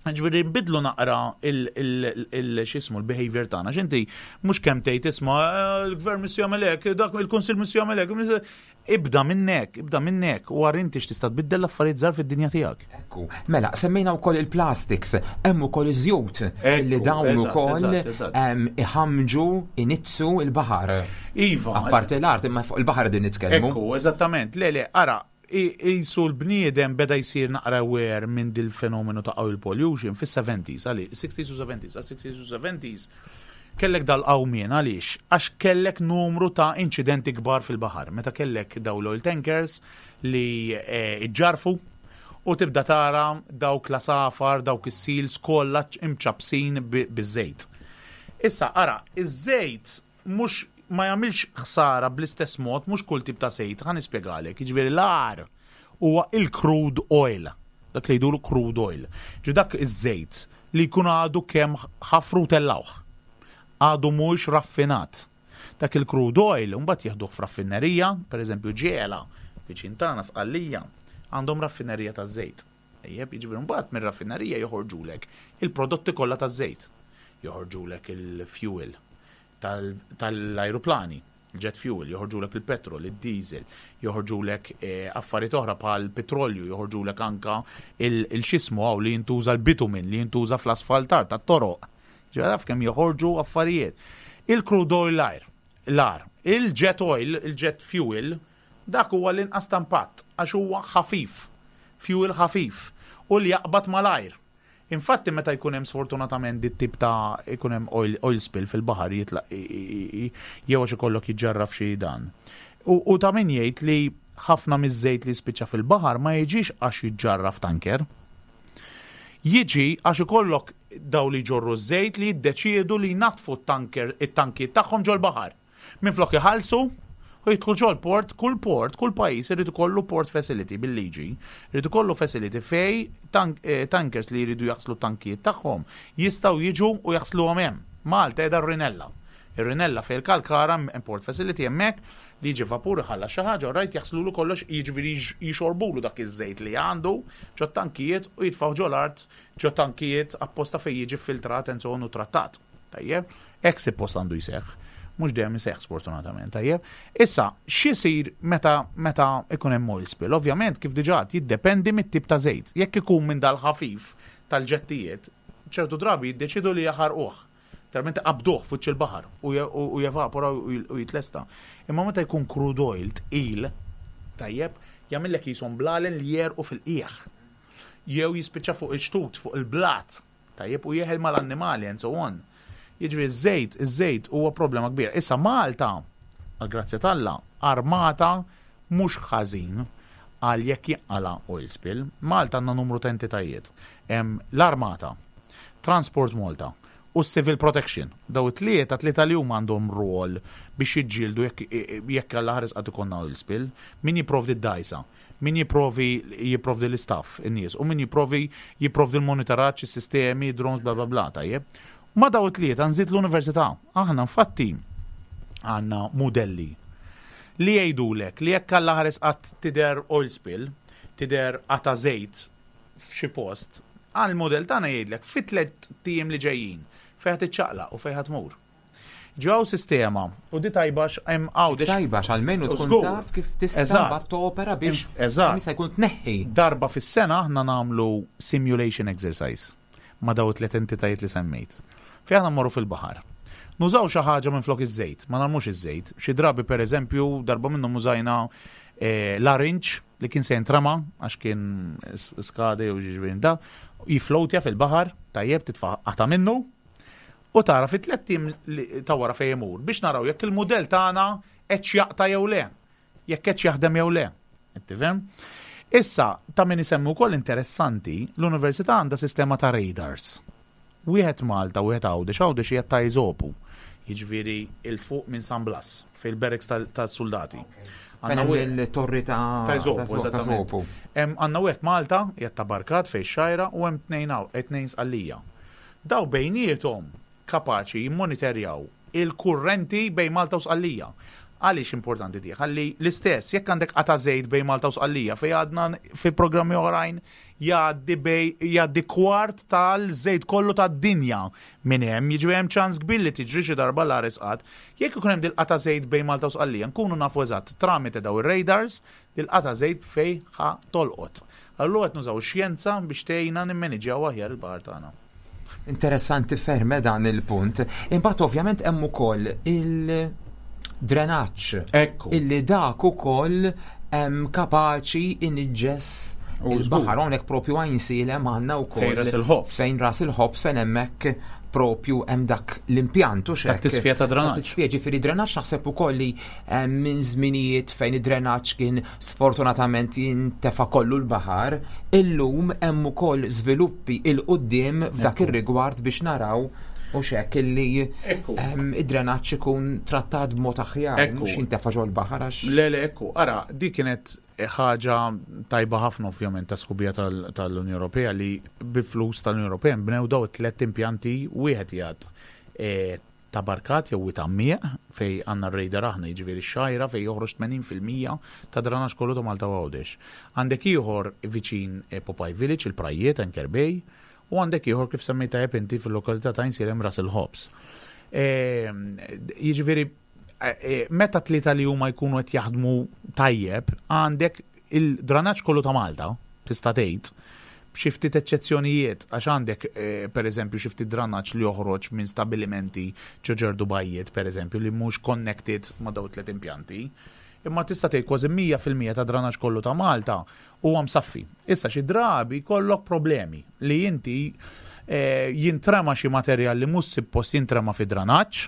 Ġifieri nbidlu naqra il-xismu l-behavior tagħna. X'inti mhux kemm tgħid isma' eh, il-gvern missu jagħmel hekk, dak il-kunsill missu jagħmel hekk. Ibda minnek, ibda minnek, u għar inti x'tista' tbiddel l-affarijiet żgħar fid-dinja tiegħek. Ekku, mela, semmejna wkoll il-plastics, hemm ukoll iż-żjut li dawn ukoll iħamġu, inizzu il-baħar. Iva. Apparti l-art, imma fuq il-baħar din nitkellmu. Ekku, eżattament. Le, le, ara, jisu l-bniedem beda jsir naqra aware minn dil-fenomenu ta' oil pollution fis-seventies, għali, sixties u seventies, għal sixties u seventies, kellek dal-qawmien għaliex? Għax kellek numru ta' inċidenti kbar fil-baħar. Meta kellek daw l-oil tankers li iġġarfu u tibda tara dawk l-għasafar, dawk is-seals kollha imċabsin biż-żejt. Issa, ara, iż-żejt mhux ma jagħmilx ħsara bl-istess mod, mhux kull tip ta' żejt, ħa nispjegalek. Jiġifieri l-agħar huwa il-crude oil. Dak li jduru crude oil. Ġi dak iż-żejt li jkun għadu kemm ħafru tellawh. Għadu mhux raffinat. Dak il-crude oil mbagħad jieħduh f'raffinerija, pereżempju Ġiela, viċin tagħna Sqallija, għandhom raffinerija taż-żejt. Ejjeb, jiġifieri mbagħad mir-raffinerija joħorġulek il-prodotti kollha taż-żejt. Joħorġulek il-fuel tal-ajruplani, il-jet fuel, joħorġulek il-petrol, il-diesel, joħorġulek affarijiet oħra bħal petrolju, joħorġulek anka il-xismu għaw li jintuża l-bitumin, li jintuża fl-asfaltar tat-toroq. Ġara kemm joħorġu affarijiet. Il-crude oil l-ajr, l-ar, il-jet oil, il-jet fuel, dak huwa l-inqas impatt, għax huwa ħafif, fuel ħafif, u li jaqbad mal-ajr. Infatti meta jkun hemm sfortunatament dit tip ta' jkun hemm oil, oil spill fil-baħar jitlaq jew għax ikollok jiġġarraf xi dan. U, u ta' min jgħid li ħafna miż-żejt li spiċċa fil-baħar ma jiġix għax jiġġarraf tanker. Jiġi għax ikollok daw li ġorru żejt li jiddeċiedu li jnaddfu t-tanker it-tankijiet tagħhom ġol-baħar. Minflok iħallsu u jidħlu ġol port, kull port, kull pajjiż irid ikollu port facility bil-liġi, irid ikollu facility fej tank, eh, tankers li jridu jaħslu tankijiet tagħhom jistgħu jiġu u jaħsluhom hemm. Malta qiegħda r-Rinella. Ir-Rinella fej il-Kalkara hemm port facility hemmhekk li jiġi vapur iħalla xi ħaġa, rajt jaħslulu kollox, jiġifieri jixorbulu dak iż-żejt li għandu ġo tankijiet u jitfgħu ġol-art ġo tankijiet apposta fejn jiġi filtrat and so on u trattat. Tajjeb, hekk suppost għandu jseħħ. Mhux dejjem iseħħ sfortunatament, tajjeb. Issa, x'isir meta meta ikun hemm oil spill? Ovvjament kif diġà jiddependi mit-tip ta' żejt. Jekk ikun minn dal-ħafif tal-ġettijiet, ċertu drabi jiddeċidu li jaħarquh. Talment qabduh fuq il-baħar u jevapora u jitlesta. Imma meta jkun crude oil tqil, tajjeb, jagħmellek jisom blalen li jerqu fil-qiegħ. Jew jispiċċa fuq il-xtut, fuq il-blat, tajjeb, u jeħel mal-annimali and so on. Jiġri iż-żejt, iż-żejt huwa problema kbira. Issa Malta, għal grazzja t'Alla, armata mhux ħażin għal jekk jinqala oil spill. Malta għandna numru ta' entitajiet. L-Armata, Transport Malta u Civil Protection. Daw it-tlieta, tlieta li huma għandhom rol biex jiġġieldu jekk jekk Alla ħares qatt ikollna oil spill. Min jipprovdi d-dajsa, min jipprovi jipprovdi l-istaff, in-nies, u min jipprovi jipprovdi l-monitoraġġ, is-sistemi, drones, bla bla bla, tajjeb. Ma daw it-tlieta nżid l-università. Aħna infatti għandna modelli li jgħidulek li jekk Alla ħares qatt tidher oil spill, tidher qata żejt f'xi post, għal model tagħna jgħidlek fi tliet tiem li ġejjin fejn ħa tiċċaqlaq u fejn ħa tmur. Ġew sistema u di tajba hemm għawdex. Tajba għalmenu tkun Żgur. taf kif tista' Eżatt. mbagħad topera biex Eżatt. jista' jkun tneħħi. Darba fis-sena aħna nagħmlu simulation exercise ma' daw tliet entitajiet li semmejt. Fejn aħna mmorru fil-baħar. Nużaw xi ħaġa minn flok iż-żejt, ma narmux iż-żejt. Xi drabi pereżempju darba minnhom użajna eh, larinġ li kien se jintrama għax kien skade u ġiġbin da, jiflowtja fil-baħar, tajjeb titfa' qata minnu u tara fi tliet tim ta' wara fejn imur biex naraw jekk il-mudell tagħna qed jaqta' jew le, jekk qed jaħdem jew le. Qed tifhem? Issa, ta' min isemmu wkoll interessanti, l-università għandha sistema ta' radars. Wieħed Malta, wieħed Għawdex, Għawdex hija ta' Eżopu. Jiġifieri 'il fuq minn San Blas, fil-barracks tal-soldati. Fejn hemm il-torri ta' Ta' Eżopu, ta' eżattament. Eżopu. Hemm għandna wieħed Malta, qiegħed ta' Barkat fejn xajra u hemm tnejn hawn, tnejn Sqallija. Daw bejniethom kapaċi jimmonitorjaw il-kurrenti bejn Malta u Sqallija. Għaliex importanti di? Ħalli l-istess, jekk għandek qata żejt bejn Malta u Sqallija, fej għadna fi programmi oħrajn jgħaddi bej jgħaddi kwart tal-żejt kollu tad-dinja minn hemm, jiġri hemm ċans kbir li tiġri xi darba l qatt. Jekk ikun hemm dil-qata żejt bejn Malta u Sqallija, nkunu nafu eżatt tramite daw ir-radars dil-qata żejt fej ħa tolqot. Allura qed nużaw xjenza biex tgħinna nimmaniġjaw aħjar il-baħar tagħna. Interessanti ferm dan il-punt. Imbagħad ovvjament hemm ukoll il-drenaġġ. Ekku. Illi dak ukoll hemm kapaċi iniġġes U il-baħar, hawnhekk propju Għajnsielem għandna wkoll. Fejn Ras il-Ħobż. Fejn Ras il-Ħobż, fejn hemmhekk propju hemm dak l-impjant u Ta' tisfija ta' drenaġġ. Ta' tisfija, ġifieri drenaġġ, naħseb ukoll li eh, minn żminijiet fejn id-drenaġġ kien sfortunatament jintefa' kollu l-baħar, illum hemm ukoll żviluppi 'il quddiem f'dak ir-rigward biex naraw u xek illi Ekku. em, id-drenaġġ ikun trattat b'mod aħjar, Ekku. mhux jintefa' ġol-baħar għax. Le, le, ekku, ara, di kienet ħaġa tajba ħafna ovvjament ta' sħubija tal- tal-Unjoni Ewropea li bil-flus tal-Unjoni Ewropea nbnew daw it-tlet impjanti, wieħed jgħad eh, Ta' Barkat jew Għammiq, fej għandna r-radar aħna, jiġifieri x-Xgħajra, fej joħroġ tmenin fil-mija ta' dranaġġ kollu ta' Malta u Għawdex. Għandek ieħor viċin eh, Popeye Village, il-Prajiet, Anchor Bay, u għandek ieħor, kif semmejta tajjeb inti, fil-lokalità ta' Għajnsielem, Ras il-Ħobż. Eh, Jiġifieri eh, eh, meta tlieta li huma jkunu qed jaħdmu tajjeb, għandek il-dranaġġ kollu ta' Malta, tista' tgħid, b'xi ftit eċċezzjonijiet, għax għandek eh, per eżempju xi ftit dranaġġ li joħroġ minn stabilimenti ġo ċertu bajjiet, per eżempju, li mhux connected ma' daw tliet impjanti. Imma tista' tgħid kważi mija fil-mija ta' dranaġġ kollu ta' Malta huwa msaffi. Issa xi drabi kollok problemi li inti eh, jintrema xi materjal li mhux suppost jintrema fi dranaġġ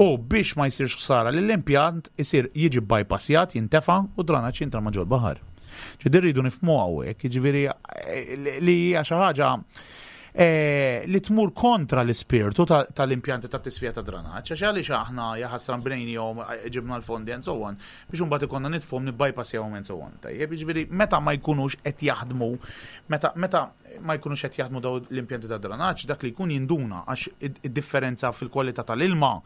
u biex ma jsirx ħsara lill-impjant isir jiġi bypassjat, jintefa' u dranaġġ jintrema ġol-baħar. Ġifieri rridu nifhmu hawnhekk, jiġifieri eh, li li hija xi ħaġa eh, li tmur kontra l-ispirtu ta- tal-impjanti ta' tisfija ta' dranaġġ, għax għaliex aħna jaħasra bnejnihom, eh, ġibna l-fondi and so on, biex imbagħad ikonna nitfhom nibbypassjawhom and so on. Tajjeb, jiġifieri meta ma jkunux qed jaħdmu, meta meta ma jkunux qed jaħdmu daw l-impjanti ta' dranaġġ, dak li jkun jinduna għax id- id-differenza fil-kwalità tal-ilma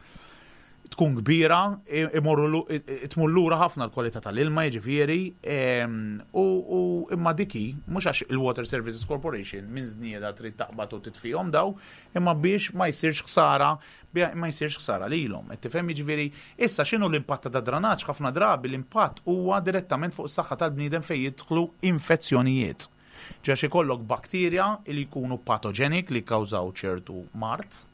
tkun kbira, i- imorru lu- i- i- tmur lura ħafna l-kwalità tal-ilma, jiġifieri, em, u u imma diki, mhux għax il-Water Services Corporation minn żnieda trid taqbad u titfihom daw, imma biex ma jsirx ħsara, bie- ma jsirx ħsara lilhom. Qed tifhem? Jiġifieri, issa x'inhu l-impatt ta' dranaġġ? Ħafna drabi l-impatt huwa direttament fuq is-saħħa tal-bniedem fejn jidħlu infezzjonijiet. Għax ikollok bakterja li jkunu patogenic, li kkawżaw ċertu mard,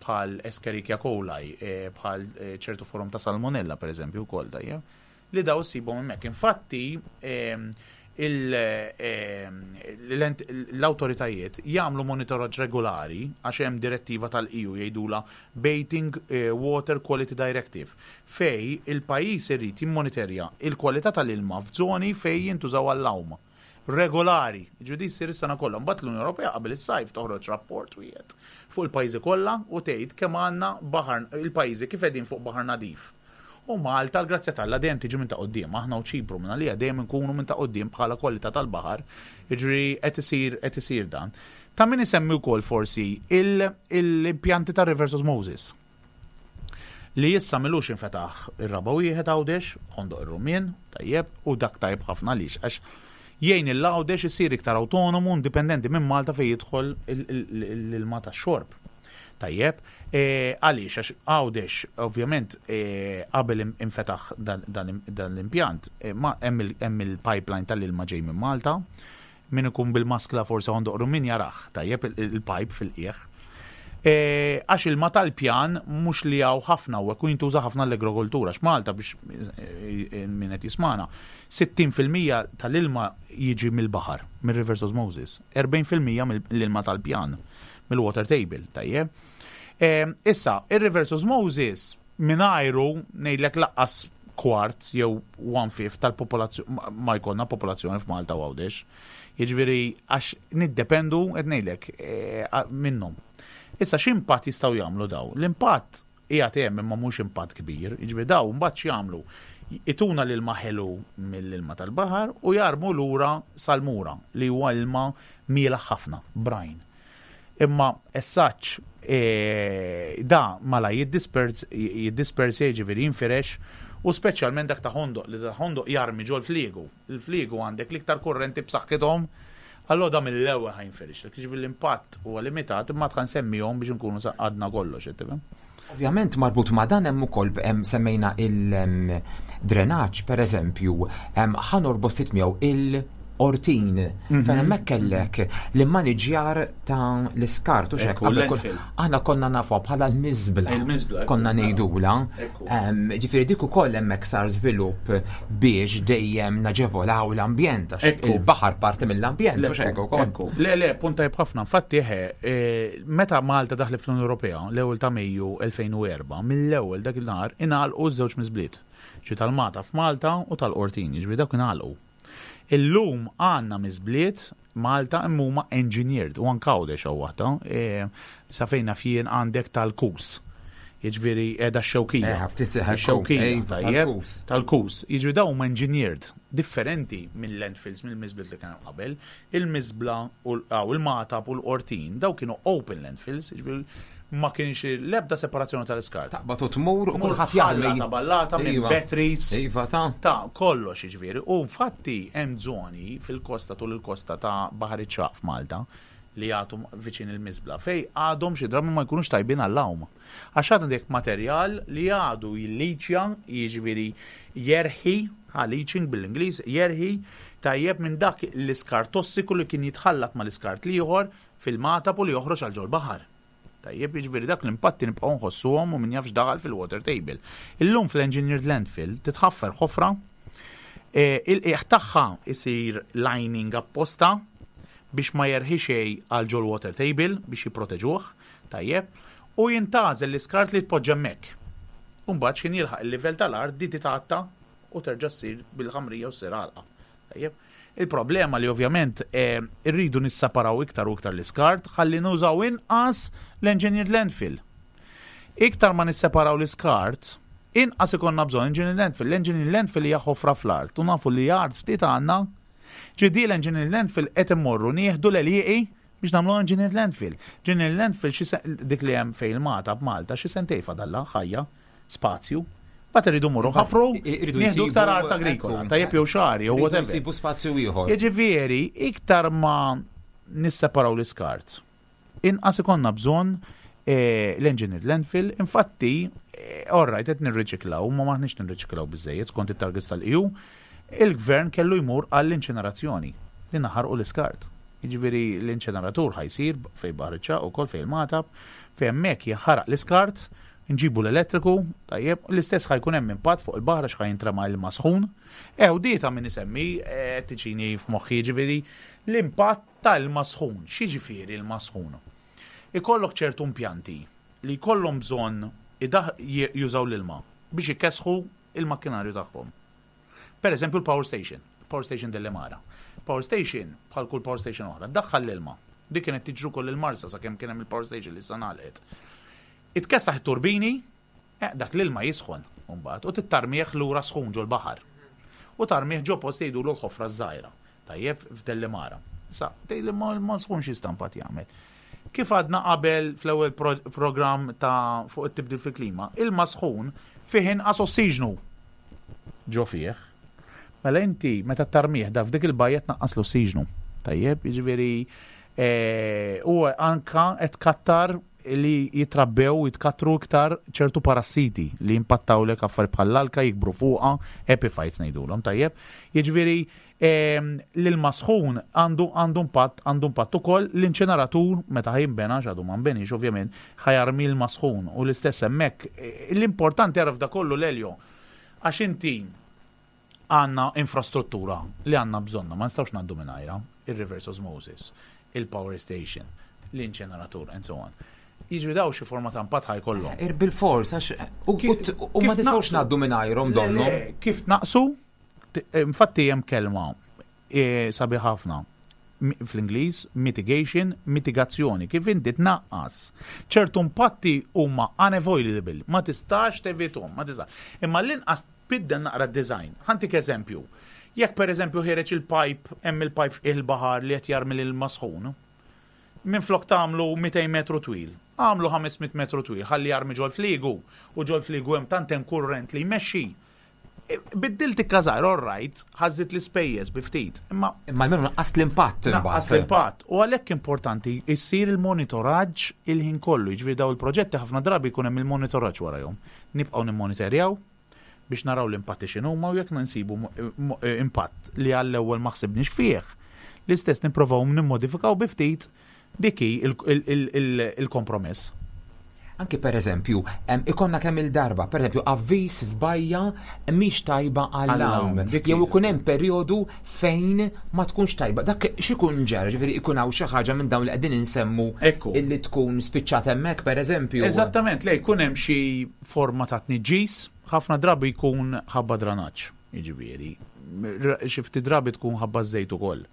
bħal Escherichia coli, eh, bħal eh, ċertu forom ta' salmonella, per eżempju, wkoll tajjeb, li daw ssibhom hemmhekk. Infatti, ehm, il- ehm, l-ent- l-autoritajiet jagħmlu monitoraġġ regolari għax hemm direttiva tal-E U jgħidula Bathing eh, Water Quality Directive, fej il-pajjiż irid jimmonitorja il-kwalità tal-ilma f'żoni fej jintużaw għall-għawm regolari. Ġudi ssir is-sena kollha. Mbagħad l-Unjoni Ewropea qabel is-sajf toħroġ rapport wieħed fuq il-pajjiżi kollha u tgħid kemm għandna baħar, il-pajjiżi kif qegħdin fuq baħar nadif. U Malta, l-grazzja t'Alla, dejjem tiġi minn ta' quddiem, aħna u Ċipru minn għalija dejjem nkunu minn ta' quddiem bħala kwalità tal-baħar, jiġri qed isir qed isir dan. Ta' min isemmi wkoll forsi il- l-impjanti ta' reverse osmosis li issa m'ilux infetaħ ir-raba' wieħed Għawdex, Ħondoq ir-Rumien, tajjeb, u dak tajjeb ħafna għaliex għax jgħin il-Għawdex isir iktar autonomu, indipendenti minn Malta fejn jidħol l-ilma tax-xorb. Tajjeb, e, għaliex għax Għawdex, ovvjament, e, qabel im- infetaħ dan dan- dan l-impjant, e, ma hemm il- hemm il-pipeline tal-ilma ġej minn Malta, min ikun bil-maskla forsi Ħondoq Rummien jarah, tajjeb, il- il-pipe fil-qiegħ. E, Għax ilma tal-pjan mhux li hawn ħafna u ekku jintuża ħafna l-agrikoltura. X'Malta, biex e, e, min qed jismana, sittin fil-mija tal-ilma jiġi mill-baħar, mill-reverse osmosis, erbgħin fil-mija mill-ilma tal-pjan, mill-water table, tajjeb. E, Issa, il-reverse osmosis mingħajru ngħidlek lanqas kwart jew one fifth tal-popolazzjoni ma jkollna popolazzjoni f'Malta u Għawdex. Jiġifieri għax niddependu, qed ngħidlek, eh, minnhom. Issa x'impatt jistgħu jagħmlu daw? L-impatt qiegħed hemm imma mhux impatt kbir, jiġifieri daw mbagħad x'jagħmlu? Ituna l-ilma ħelu mill-ilma tal-baħar u jarmu lura salmura li huwa ilma mielaħ ħafna, brine. Imma essaċ e, da mala jiddispersi, jiġifieri jinfirex U speċjalment dak ta' Ħondoq, li ta' Ħondoq jarmi ġol fliegu. Il-fliegu għandek l-iktar kurrenti b'saħħithom. Allora da mill-ewwel ħa jinfirex. Jiġifieri l-impatt huwa limitat, imma tħan semmihom biex nkunu għadna kollox, qed tifhem? Ovvjament marbut ma' dan hemm ukoll hemm semmejna il-drenaġġ, per eżempju, ħa norbot ftit miegħu il-Qortin. Mhm. Fejn hemmhekk kellek l-immaniġjar ta' l-iskart u xek. Ekku, landfill. Aħna konna nafu bħala l-miżbla. Il-miżbla, ekku. Konna ngħidula. Ekku. Em, Ġifieri dik ukoll hemmhekk sar żvilupp biex dejjem naġevolaw l-ambjent għax Ekku. il-baħar parti mill-ambjent u xek ukoll. Ekku. Le, le, punt tajb ħafna. Infatti, eħe, eh, meta Malta daħlet fl-Unjoni Ewropea, l-ewwel ta' Mejju elfejn u erbgħa, mill-ewwel dak il-nhar ingħalqu żewġ miżbliet. Ġi tal-Magħtab f'Malta u tal-Qortin, jiġifieri dak ingħalqu. Illum għandna miżbliet Malta imma huma engineered u anke Għawdex hawn waħda. E, sa fejn naf jien għandek tal-Kus. Jiġifieri qiegħda x-Xewkija. Eh, ftit, ekku, Ix-Xewkija, iva, tajjeb, tal-Kus. Tal-Kus. Jiġifieri dawn huma engineered, differenti minn landfills, mill miżbliet li kienu qabel. Il-miżbla u l- aw, il-Magħtab u l-Qortin, daw kienu open landfills, jiġifieri ma kienx l-ebda separazzjoni tal-iskart. Taqbad u tmur u Tmur kulħadd jarmi. ħallata ballata minn Iva. batteries. Iva ta' Ta' kollox jiġifieri. U infatti hemm żoni fil-kosta, tul il-kosta ta' Baħar iċ-Ċagħaq f'Malta li jagħtu viċin il-miżbla fej għadhom xi drabi ma jkunux tajbin għall-għawm. Għax għandek materjal li għadu jilliċja, jiġifieri jerħi, ha, leaching bil-Ingliż, jerħi tajjeb minn dak l-iskart tossiku li kien jitħallat mal-iskart l-ieħor fil-Magħtab u li joħroġ għal ġol baħar. Tajjeb, jiġifieri dak l-impatti nibqgħu nħossuhom u min jafx daħal fil-water table. Illum fl-engineered landfill titħaffer ħofra, e, il-qiegħ tagħha isir lining apposta biex ma jerħi xejn għal ġol water table biex jipproteġuh, tajjeb, u jintgħażel l-iskart li tpoġġa hemmhekk. Umbagħad x'ħin jilħaq il-livell tal-art di titgħatta u terġa' ssir bil-ħamrija u ssir għalqa. Tajjeb. Il-problema li ovvjament eh, irridu nissaparaw iktar u iktar l-iskart ħalli nużaw inqas l-engineered landfill. Iktar ma nisseparaw l-iskart, inqas ikonna bżonn engineered landfill. L-engineered landfill hija ħofra fl-art u nafu li art ftit għandna. Ġidi l-engineered landfill qed immorru nieħdu l-għelieqi biex nagħmlu engineered landfill. Engineered landfill xi se- dik li hemm fejn il-Magħtab Malta xi sentejn fadalla ħajja, spazju. Bat irridu mmorru ħafru, Irridu nieħdu jsibu- iktar art agrikola, ekku. tajjeb jew xagħri jew Irridu whatever. jsibu spazju ieħor. Jiġifieri, iktar ma nisseparaw l-iskart, inqas ikonna bżonn eh, l-engineered landfill, infatti, eh, all right, qed nirriċiklaw, ma maħniex nirriċiklaw biżejjed skont it-targets tal-E U, il-gvern kellu jmur għall-inċinerazzjoni li naħarqu l-iskart. Jiġifieri l-inċineratur ħa jsir fej Baħar iċ-Ċagħaq ukoll fej il-Magħtab, fej hemmhekk jaħaraq l-iskart, nġibu l-elettriku, tajjeb, l-istess ħa jkun hemm impatt fuq il-baħar għax ħa jintrema ilma sħun. Ew di ta' min isemmi, eh, tiġini f'moħħi ġifieri l-impatt tal-ilma sħun. X'jiġifieri ilma sħun? Ikollok ċertu impjanti li jkollhom bżonn idaħ- j- jużaw l-ilma biex ikesħu il-makkinarju tagħhom. Per eżempju l-power station, power station Delimara. Power station, bħal kull power station oħra, daħħal l-ilma. Dik kienet tiġru koll il-Marsa sakemm kien hemm il-power station li issa ngħalqet. Itkessaħ it-turbini, eh, dak l-ilma jisħon mbagħad u tittarmieħ lura sħun ġol baħar. U tarmieħ ġo post jgħidulu l-ħofra żgħira. Tajjeb f'Delimara. Sa, tgħid li ma ma sħun xi stampat jagħmel. Kif għadna qabel fl-ewwel pro programm ta' fuq it-tibdil fil-klima, ilma sħun fih inqas ossiġnu ġo fih. Mela inti meta tarmieħ da f'dik il-bajja tnaqqas l-ossiġnu. Tajjeb, jiġifieri eh, u anka qed kattar li jitrabbew jitkattru iktar ċertu parassiti li jimpattawlek affarijiet bħall-alka jikbru fuqha, epiphytes ngħidulhom, tajjeb. Jiġifieri ehm, l-ilma sħun għandu għandu impatt għandu impatt ukoll l-inċineratur meta ħa jinbena, għadu ma nbenix ovvjament, ħa jarmi l sħun u l-istess hemmhekk. Eh, L-importanti għaraf da kollu l-Elio għax inti għandna infrastruttura li għandna bżonna, ma nistgħux ngħaddu mingħajrha, il-reverse osmosis, il-power station, l-inċineratur, and so on. Jiġri daw xi forma ta' impatt ħa jkollhom. Ir bil-fors, għax u Ki- u- u ma kif tistgħux naqsu? ngħaddu mingħajrhom Le, donnu. le, Kif naqsu? T- eh, Infatti hemm kelma eh, sabi ħafna Mi- fl-Ingliż mitigation, mitigazzjoni, kif inti tnaqqas. Ċertu impatti huma unavoidable, ma tistax tevitahom, ma tistax. Imma l-inqas tbiddel naqra design. Ħa ntik eżempju. Jekk per eżempju ħiereġ il-pipe, hemm il-pipe il-baħar li qed jarmi l-ilma sħun, minn flok tagħmlu mitejn metru twil, għamlu ħames mitt metru twil, ħalli jarmi ġol fliegu, u ġol fliegu hemm tant hemm kurrent li jmexxi. Biddilt ikkażar, all right, ħażżidt l-ispejjeż bi ftit, imma Imma almenu naqqas l-impatt. Naqqas l-impatt. U għalhekk importanti jsir il-monitoraġġ il-ħin kollu. Jiġifieri daw il-proġetti ħafna drabi jkun hemm il-monitoraġġ warahom. Nibqgħu nimmonitorjaw biex naraw l-impatti x'inhuma u jekk nsibu impatt li għall-ewwel ma ħsibniex fih. L-istess nipprovaw nimmodifikaw bi ftit, dik hi il-kompromess. Anki per eżempju, ikollna kemm il-darba, per eżempju, avviż f'bajja mhix tajba għall-għawm. Jew ikun hemm perjodu fejn ma tkunx tajba. Dak x'ikun ġara, ġifieri ikun hawn xi ħaġa minn dawn li qegħdin insemmu illi tkun spiċċat hemmhekk, per eżempju. Eżattament, le jkun hemm xi forma ta' tniġġis, ħafna drabi jkun ħabba dranaġġ, jiġifieri. Xi ftit drabi tkun ħabba żejt ukoll.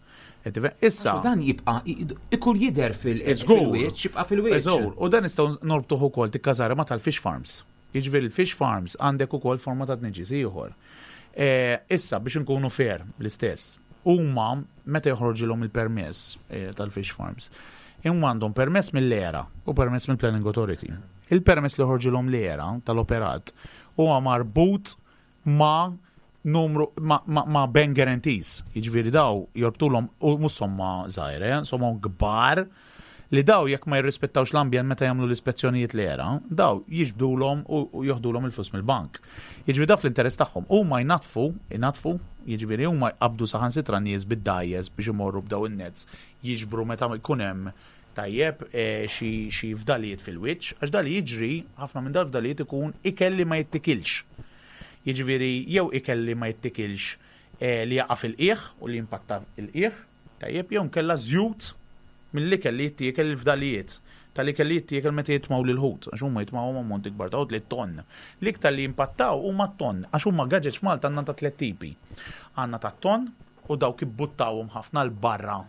Issa. Dan jibqa' ikun jidher fil-wiċċ, jibqa' fil-wiċċ. U dan nistgħu norbtuh ukoll tikkażara ma tal-fish farms. Jiġifieri il-fish farms għandek ukoll forma ta' tniġġis ieħor. Issa biex inkunu fair l-istess, huma meta joħroġilhom il-permess tal-fish farms, huma għandhom permess mill-E R A u permess mill-Planning Authority. Il-permess li joħroġilhom l-E R A tal-operat huwa marbut ma' numru ma, ma, ma bank guarantees. Jiġifieri daw jorbtulhom, u mhux somma żgħira, somma kbar, li daw jekk ma jirrispettawx l-ambjent meta jagħmlu l-ispezzjonijiet l-E R A, daw jiġbdulhom u joħdulhom il-flus mill-bank. Jiġifieri daw fl-interess tagħhom huma jnatfu, jnatfu, jiġifieri huma jqabdu saħansitra nies bid-dgħajjes biex imorru b'daw in-nets jiġbru meta jkun hemm, tajjeb, xi fdalijiet fil-wiċċ, għax dali jiġri, ħafna minn dal fdalijiet ikun ikel li ma jittikilx. Jiġifieri jew ikel li ma jittikilx li jaqa' fil-qiegħ u li jimpatta il-qiegħ, tajjeb, jew nkella żjut mill-ikel li jittiekel, il-fdalijiet tal-ikel li jittiekel meta jitmaw lil ħut, għax huma jitmaw ammonti kbar ta' ħut, li ton. L-iktar li jimpattaw huma ton, għax huma gaġeġ f'Malta għandna ta' tliet tipi. Għandna ta' ton u dawk ibbuttawhom ħafna 'l barra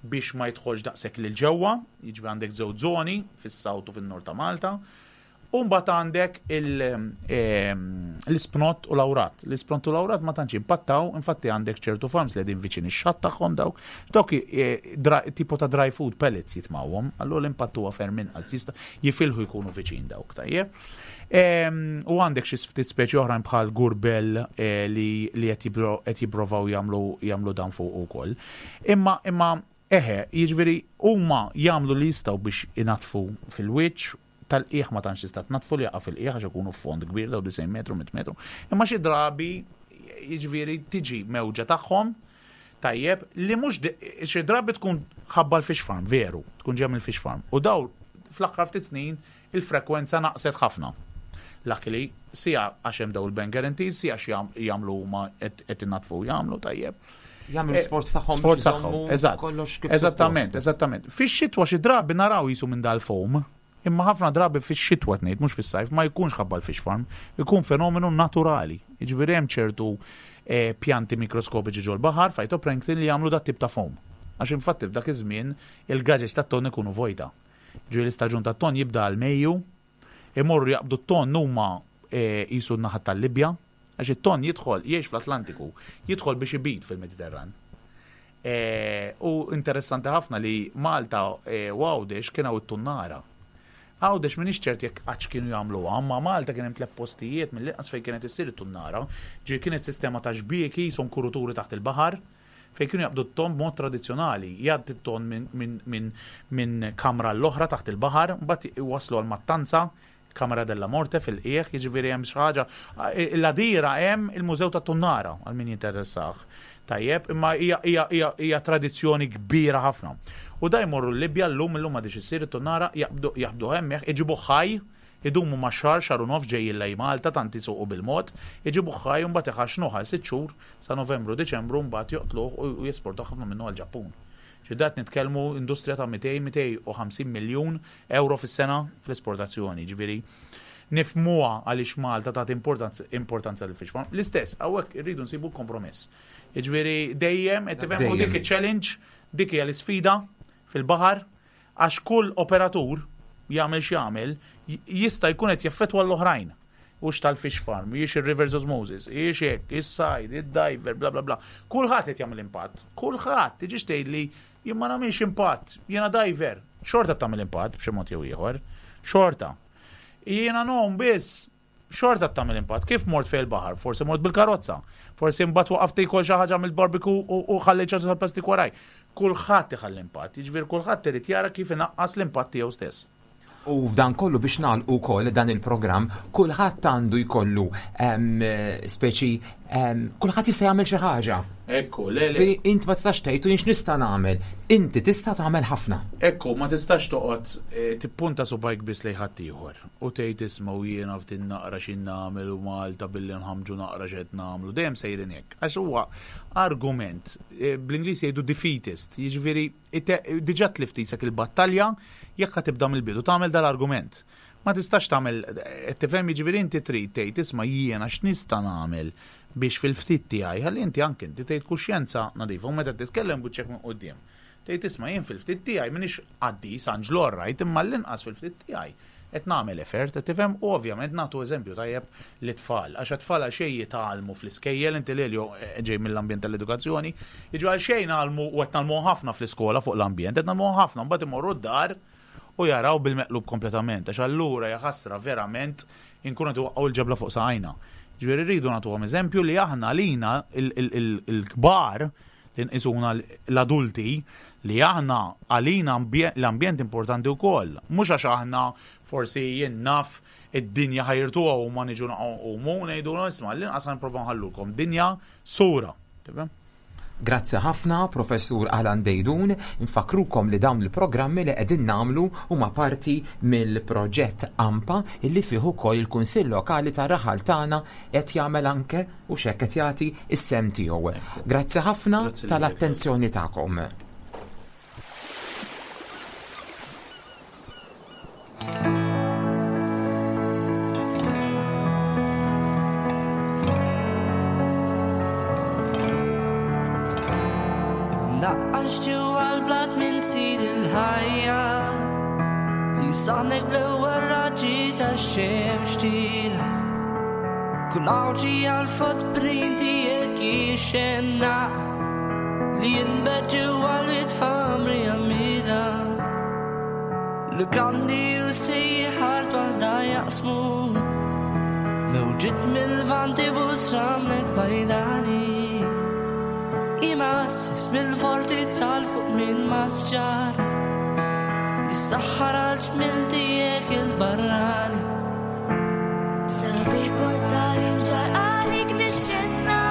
biex ma jidħolx daqshekk lil ġewwa, jiġifieri għandek żewġ żoni fis-south u fin-nord ta' Malta. U mbagħad għandek l-ispnott u l-awrat. L-ispnott u l-awrat ma tantx impattaw, infatti għandek ċertu farms li qegħdin viċin ix-xatt tagħhom dawk. Dawk tipo ta' dry food pellets jitmawhom, allura l-impatt huwa ferm inqas, jista' jifilħu jkunu viċin dawk, tajjeb. U għandek xi ftit speċi oħrajn bħal gurbel li qed jipprovaw jagħmlu dan fuq ukoll. Imma imma eħe, jiġifieri huma jagħmlu li jistgħu biex inatfu fil-wiċċ, tal-qiegħ ma tantx tista' tnatfu li jaqa' fil-qiegħ għax ikunu fond kbir daw disgħin metru, mitt metru. Imma xi drabi jiġifieri tiġi mewġa tagħhom, tajjeb, li mhux xi drabi tkun ħabba l-fish farm, veru, tkun ġej mill-fish farm. U daw fl-aħħar ftit snin il-frekwenza naqset ħafna. Luckily, sija għax hemm daw il-bank guarantees, sija għax jagħmlu huma qed innatfu jagħmlu tajjeb. Jagħmlu sforz tagħhom. Sforz tagħhom, eżatt. Kollox kif Eżattament, eżattament. Fix-xitwa xi drabi naraw jisu minn dal-foam, imma ħafna drabi fix-xitwa tnejt, mhux fis-sajf, ma jkunx ħabba l-fish farm, ikun fenomenu naturali. Jiġifieri hemm ċertu pjanti mikroskopiċi ġol-baħar, phytoplankton, li jagħmlu dat tip ta' foam. Għax infatti f'dak iż-żmien il-gaġeġ tat-ton ikunu vojta. Ġifieri l-istaġun tat-ton jibda għal Mejju, imorru jaqbdu t-ton huma jisu n-naħa tal-Libja, għax it-ton jidħol, jgħix fl-Atlantiku, jidħol biex ibid fil-Mediterran. U interessanti ħafna li Malta u Għawdex kien hawn it-tunnara. Għawdex m'iniex ċert jekk għadx kienu jagħmluha, imma Malta kien hemm tliet postijiet mill-inqas fejn kienet issir it-tunnara. Ġifieri kienet sistema ta' xbieki, son kuruturi taħt il-baħar, fejn kienu jaqbdu t-ton b'mod tradizzjonali, jgħaddi t-ton minn, minn, minn, minn kamra l-oħra taħt il-baħar, mbagħad waslu għal mattanza, Kamra della Morte fil-qiegħ, jiġifieri hemm xi ħaġa. L-Għadira hemm il-Mużew tat-Tunnara għal min jinteressah. Tajjeb, imma hija, hija, hija, hija tradizzjoni kbira ħafna. U da jmorru l-Libja llum, illum m'għadix issir it-tunnara, jaqbdu, jaqbdu hemmhekk, iġibu ħaj, idumu ma' xahar, xahar u nofs ġejjin lejn Malta, tant isuqu bil-mod, iġibu ħaj u mbagħad iħaxnuh għal sitt xhur sa Novembru, Diċembru, mbagħad joqtluh u jesportaw ħafna minnu għall-Ġappun. Ġidat nitkellmu industrija ta' mitejn, mitejn u ħamsin miljun euro fis-sena fl-esportazzjoni, ġifieri nifmuha għaliex Malta tagħti importanza, importanza lil fish farm. L-istess, hawnhekk irridu nsibu kompromess. Jiġifieri dejjem qed tifhem, u dik iċ-challenge, dik hija l-isfida fil-baħar, għax kull operatur jagħmel x'jagħmel jista' jkun qed jaffettwa l-oħrajn. Hux tal-fish farm, jiex il-reverse osmosis, jiex hekk, is-sajd, id-diver, bla bla bla. Kulħadd qed jagħmel impatt. Kulħadd, tiġix tgħidli jien ma nagħmilx impatt, jiena diver. Xorta tagħmel impatt b'xi mod jew ieħor. Xorta. Jiena ngħum biss, Xorta tagħmel impatt. Kif mort fejn il-baħar? Forsi mort bil-karozza. Forsi mbagħad waqaft tiekol xi ħaġa mill-barbecue u ħallejt ċertu tal-plastik waraj. Kulħadd iħalli impatt, jiġifieri kulħadd irid jara kif inaqqas l-impatt tiegħu stess. U f'dan kollu biex nagħlqu wkoll dan il-programm, kulħadd għandu jkollu speċi kulħadd jista' jagħmel xi ħaġa. Ekku, le le. Int ma tistax tgħid u jien x'nista' nagħmel. Inti tista' tagħmel ħafna. Ekku, ma tistax toqgħod tippunta subajk biss lejn ħaddieħor u tgħid isma' u jiena f'din naqra xi nagħmel u Malta billi nħamġu naqra x'qed nagħmlu. Dejjem sejrin hekk. Għax huwa argument, bl-Ingliż jgħidu defeatist, jiġifieri diġà tlift isek il-battalja jekk ħa tibda mill-bidu tagħmel dal-argument. Ma tistax tagħmel, tifhem, jiġifieri inti trid tgħid isma' jiena x'nista' nagħmel biex fil-ftit tiegħi, ħalli inti anke inti tgħid kuxjenza nadifa u meta titkellem buċċek minn quddiem. Tgħid isma' jien fil-ftit tiegħi m'iniex qaddis anġlu rajt imma l-inqas fil-ftit tiegħi qed nagħmel effort, qed tifhem, u ovvjament nagħtu eżempju tajjeb lit-tfal, għax it-tfal għal xejn jitgħallmu fl-iskejjel, inti Lelio ġej mill-ambjent tal-edukazzjoni, jiġu għal xejn ngħallmu u qed ngħallmu ħafna fl-iskola fuq l-ambjent, qed ngħallmu ħafna, mbagħad imorru d-dar u jaraw bil-meqlub kompletament, għax allura hija ħasra verament inkunu qed iwaqqgħu l-ġebla fuq saqajna. Ġifieri rridu nagħtuhom eżempju li aħna lina il-kbar li nqisuna l-adulti li aħna għalina l-ambjent importanti wkoll. Mhux għax aħna forsi jien naf id-dinja ħajrtuha u ma niġu naqgħu ngħidu isma' l-inqas ħa nipprova nħallukom dinja sura. Tifhem? Grazzi ħafna, Professur Alan Deidun. Infakrukom li dawn il-programmi li qegħdin nagħmlu huma parti mill-proġett AMPA illi fih ukoll il-Kunsill Lokali tar-Raħal tagħna qed jagħmel anke u x'hekk qed jagħti s-sem tiegħu. Grazzi ħafna tal-attenzjoni tagħkom. Naqqax ġewwa l-blat minn sid il-ħajja li saħnek bl-ewwel raġġi tax-xemx tila. Kull għawġi għall-footprint tiegħek jixxenna li jinbet ġewwa l-wied f'għamri għamida. Lukandi u sejħar waħda jaqsmu mewġiet mill-vanti busramlek bajdani. Imassis mill-fortizza l fuq minn masġar jissaħħar għal ġmil tiegħek il-barrani. Sabiħ portali mġar għalik nixxenna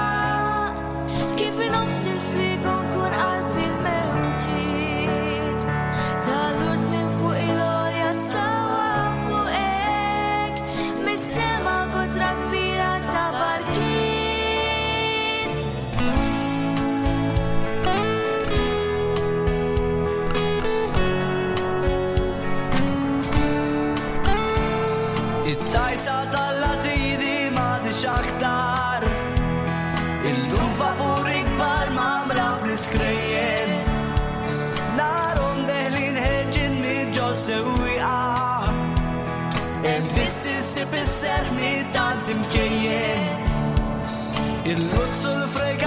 kif nofs il-frigo nkun qalbi l-mewġiet tal-urt minn fuq il-għolja sawa fuqek mis-sema kotra kbira ta' barkiet. It-tajsa tal-latini m'għadix aktar illum vapuri kbar mamra bl-iskrejjen narhom deħlin ħeġin miġo sewwieqa hemm biss issib is-serħ mit-tant imkejjen il-luzzu l-frega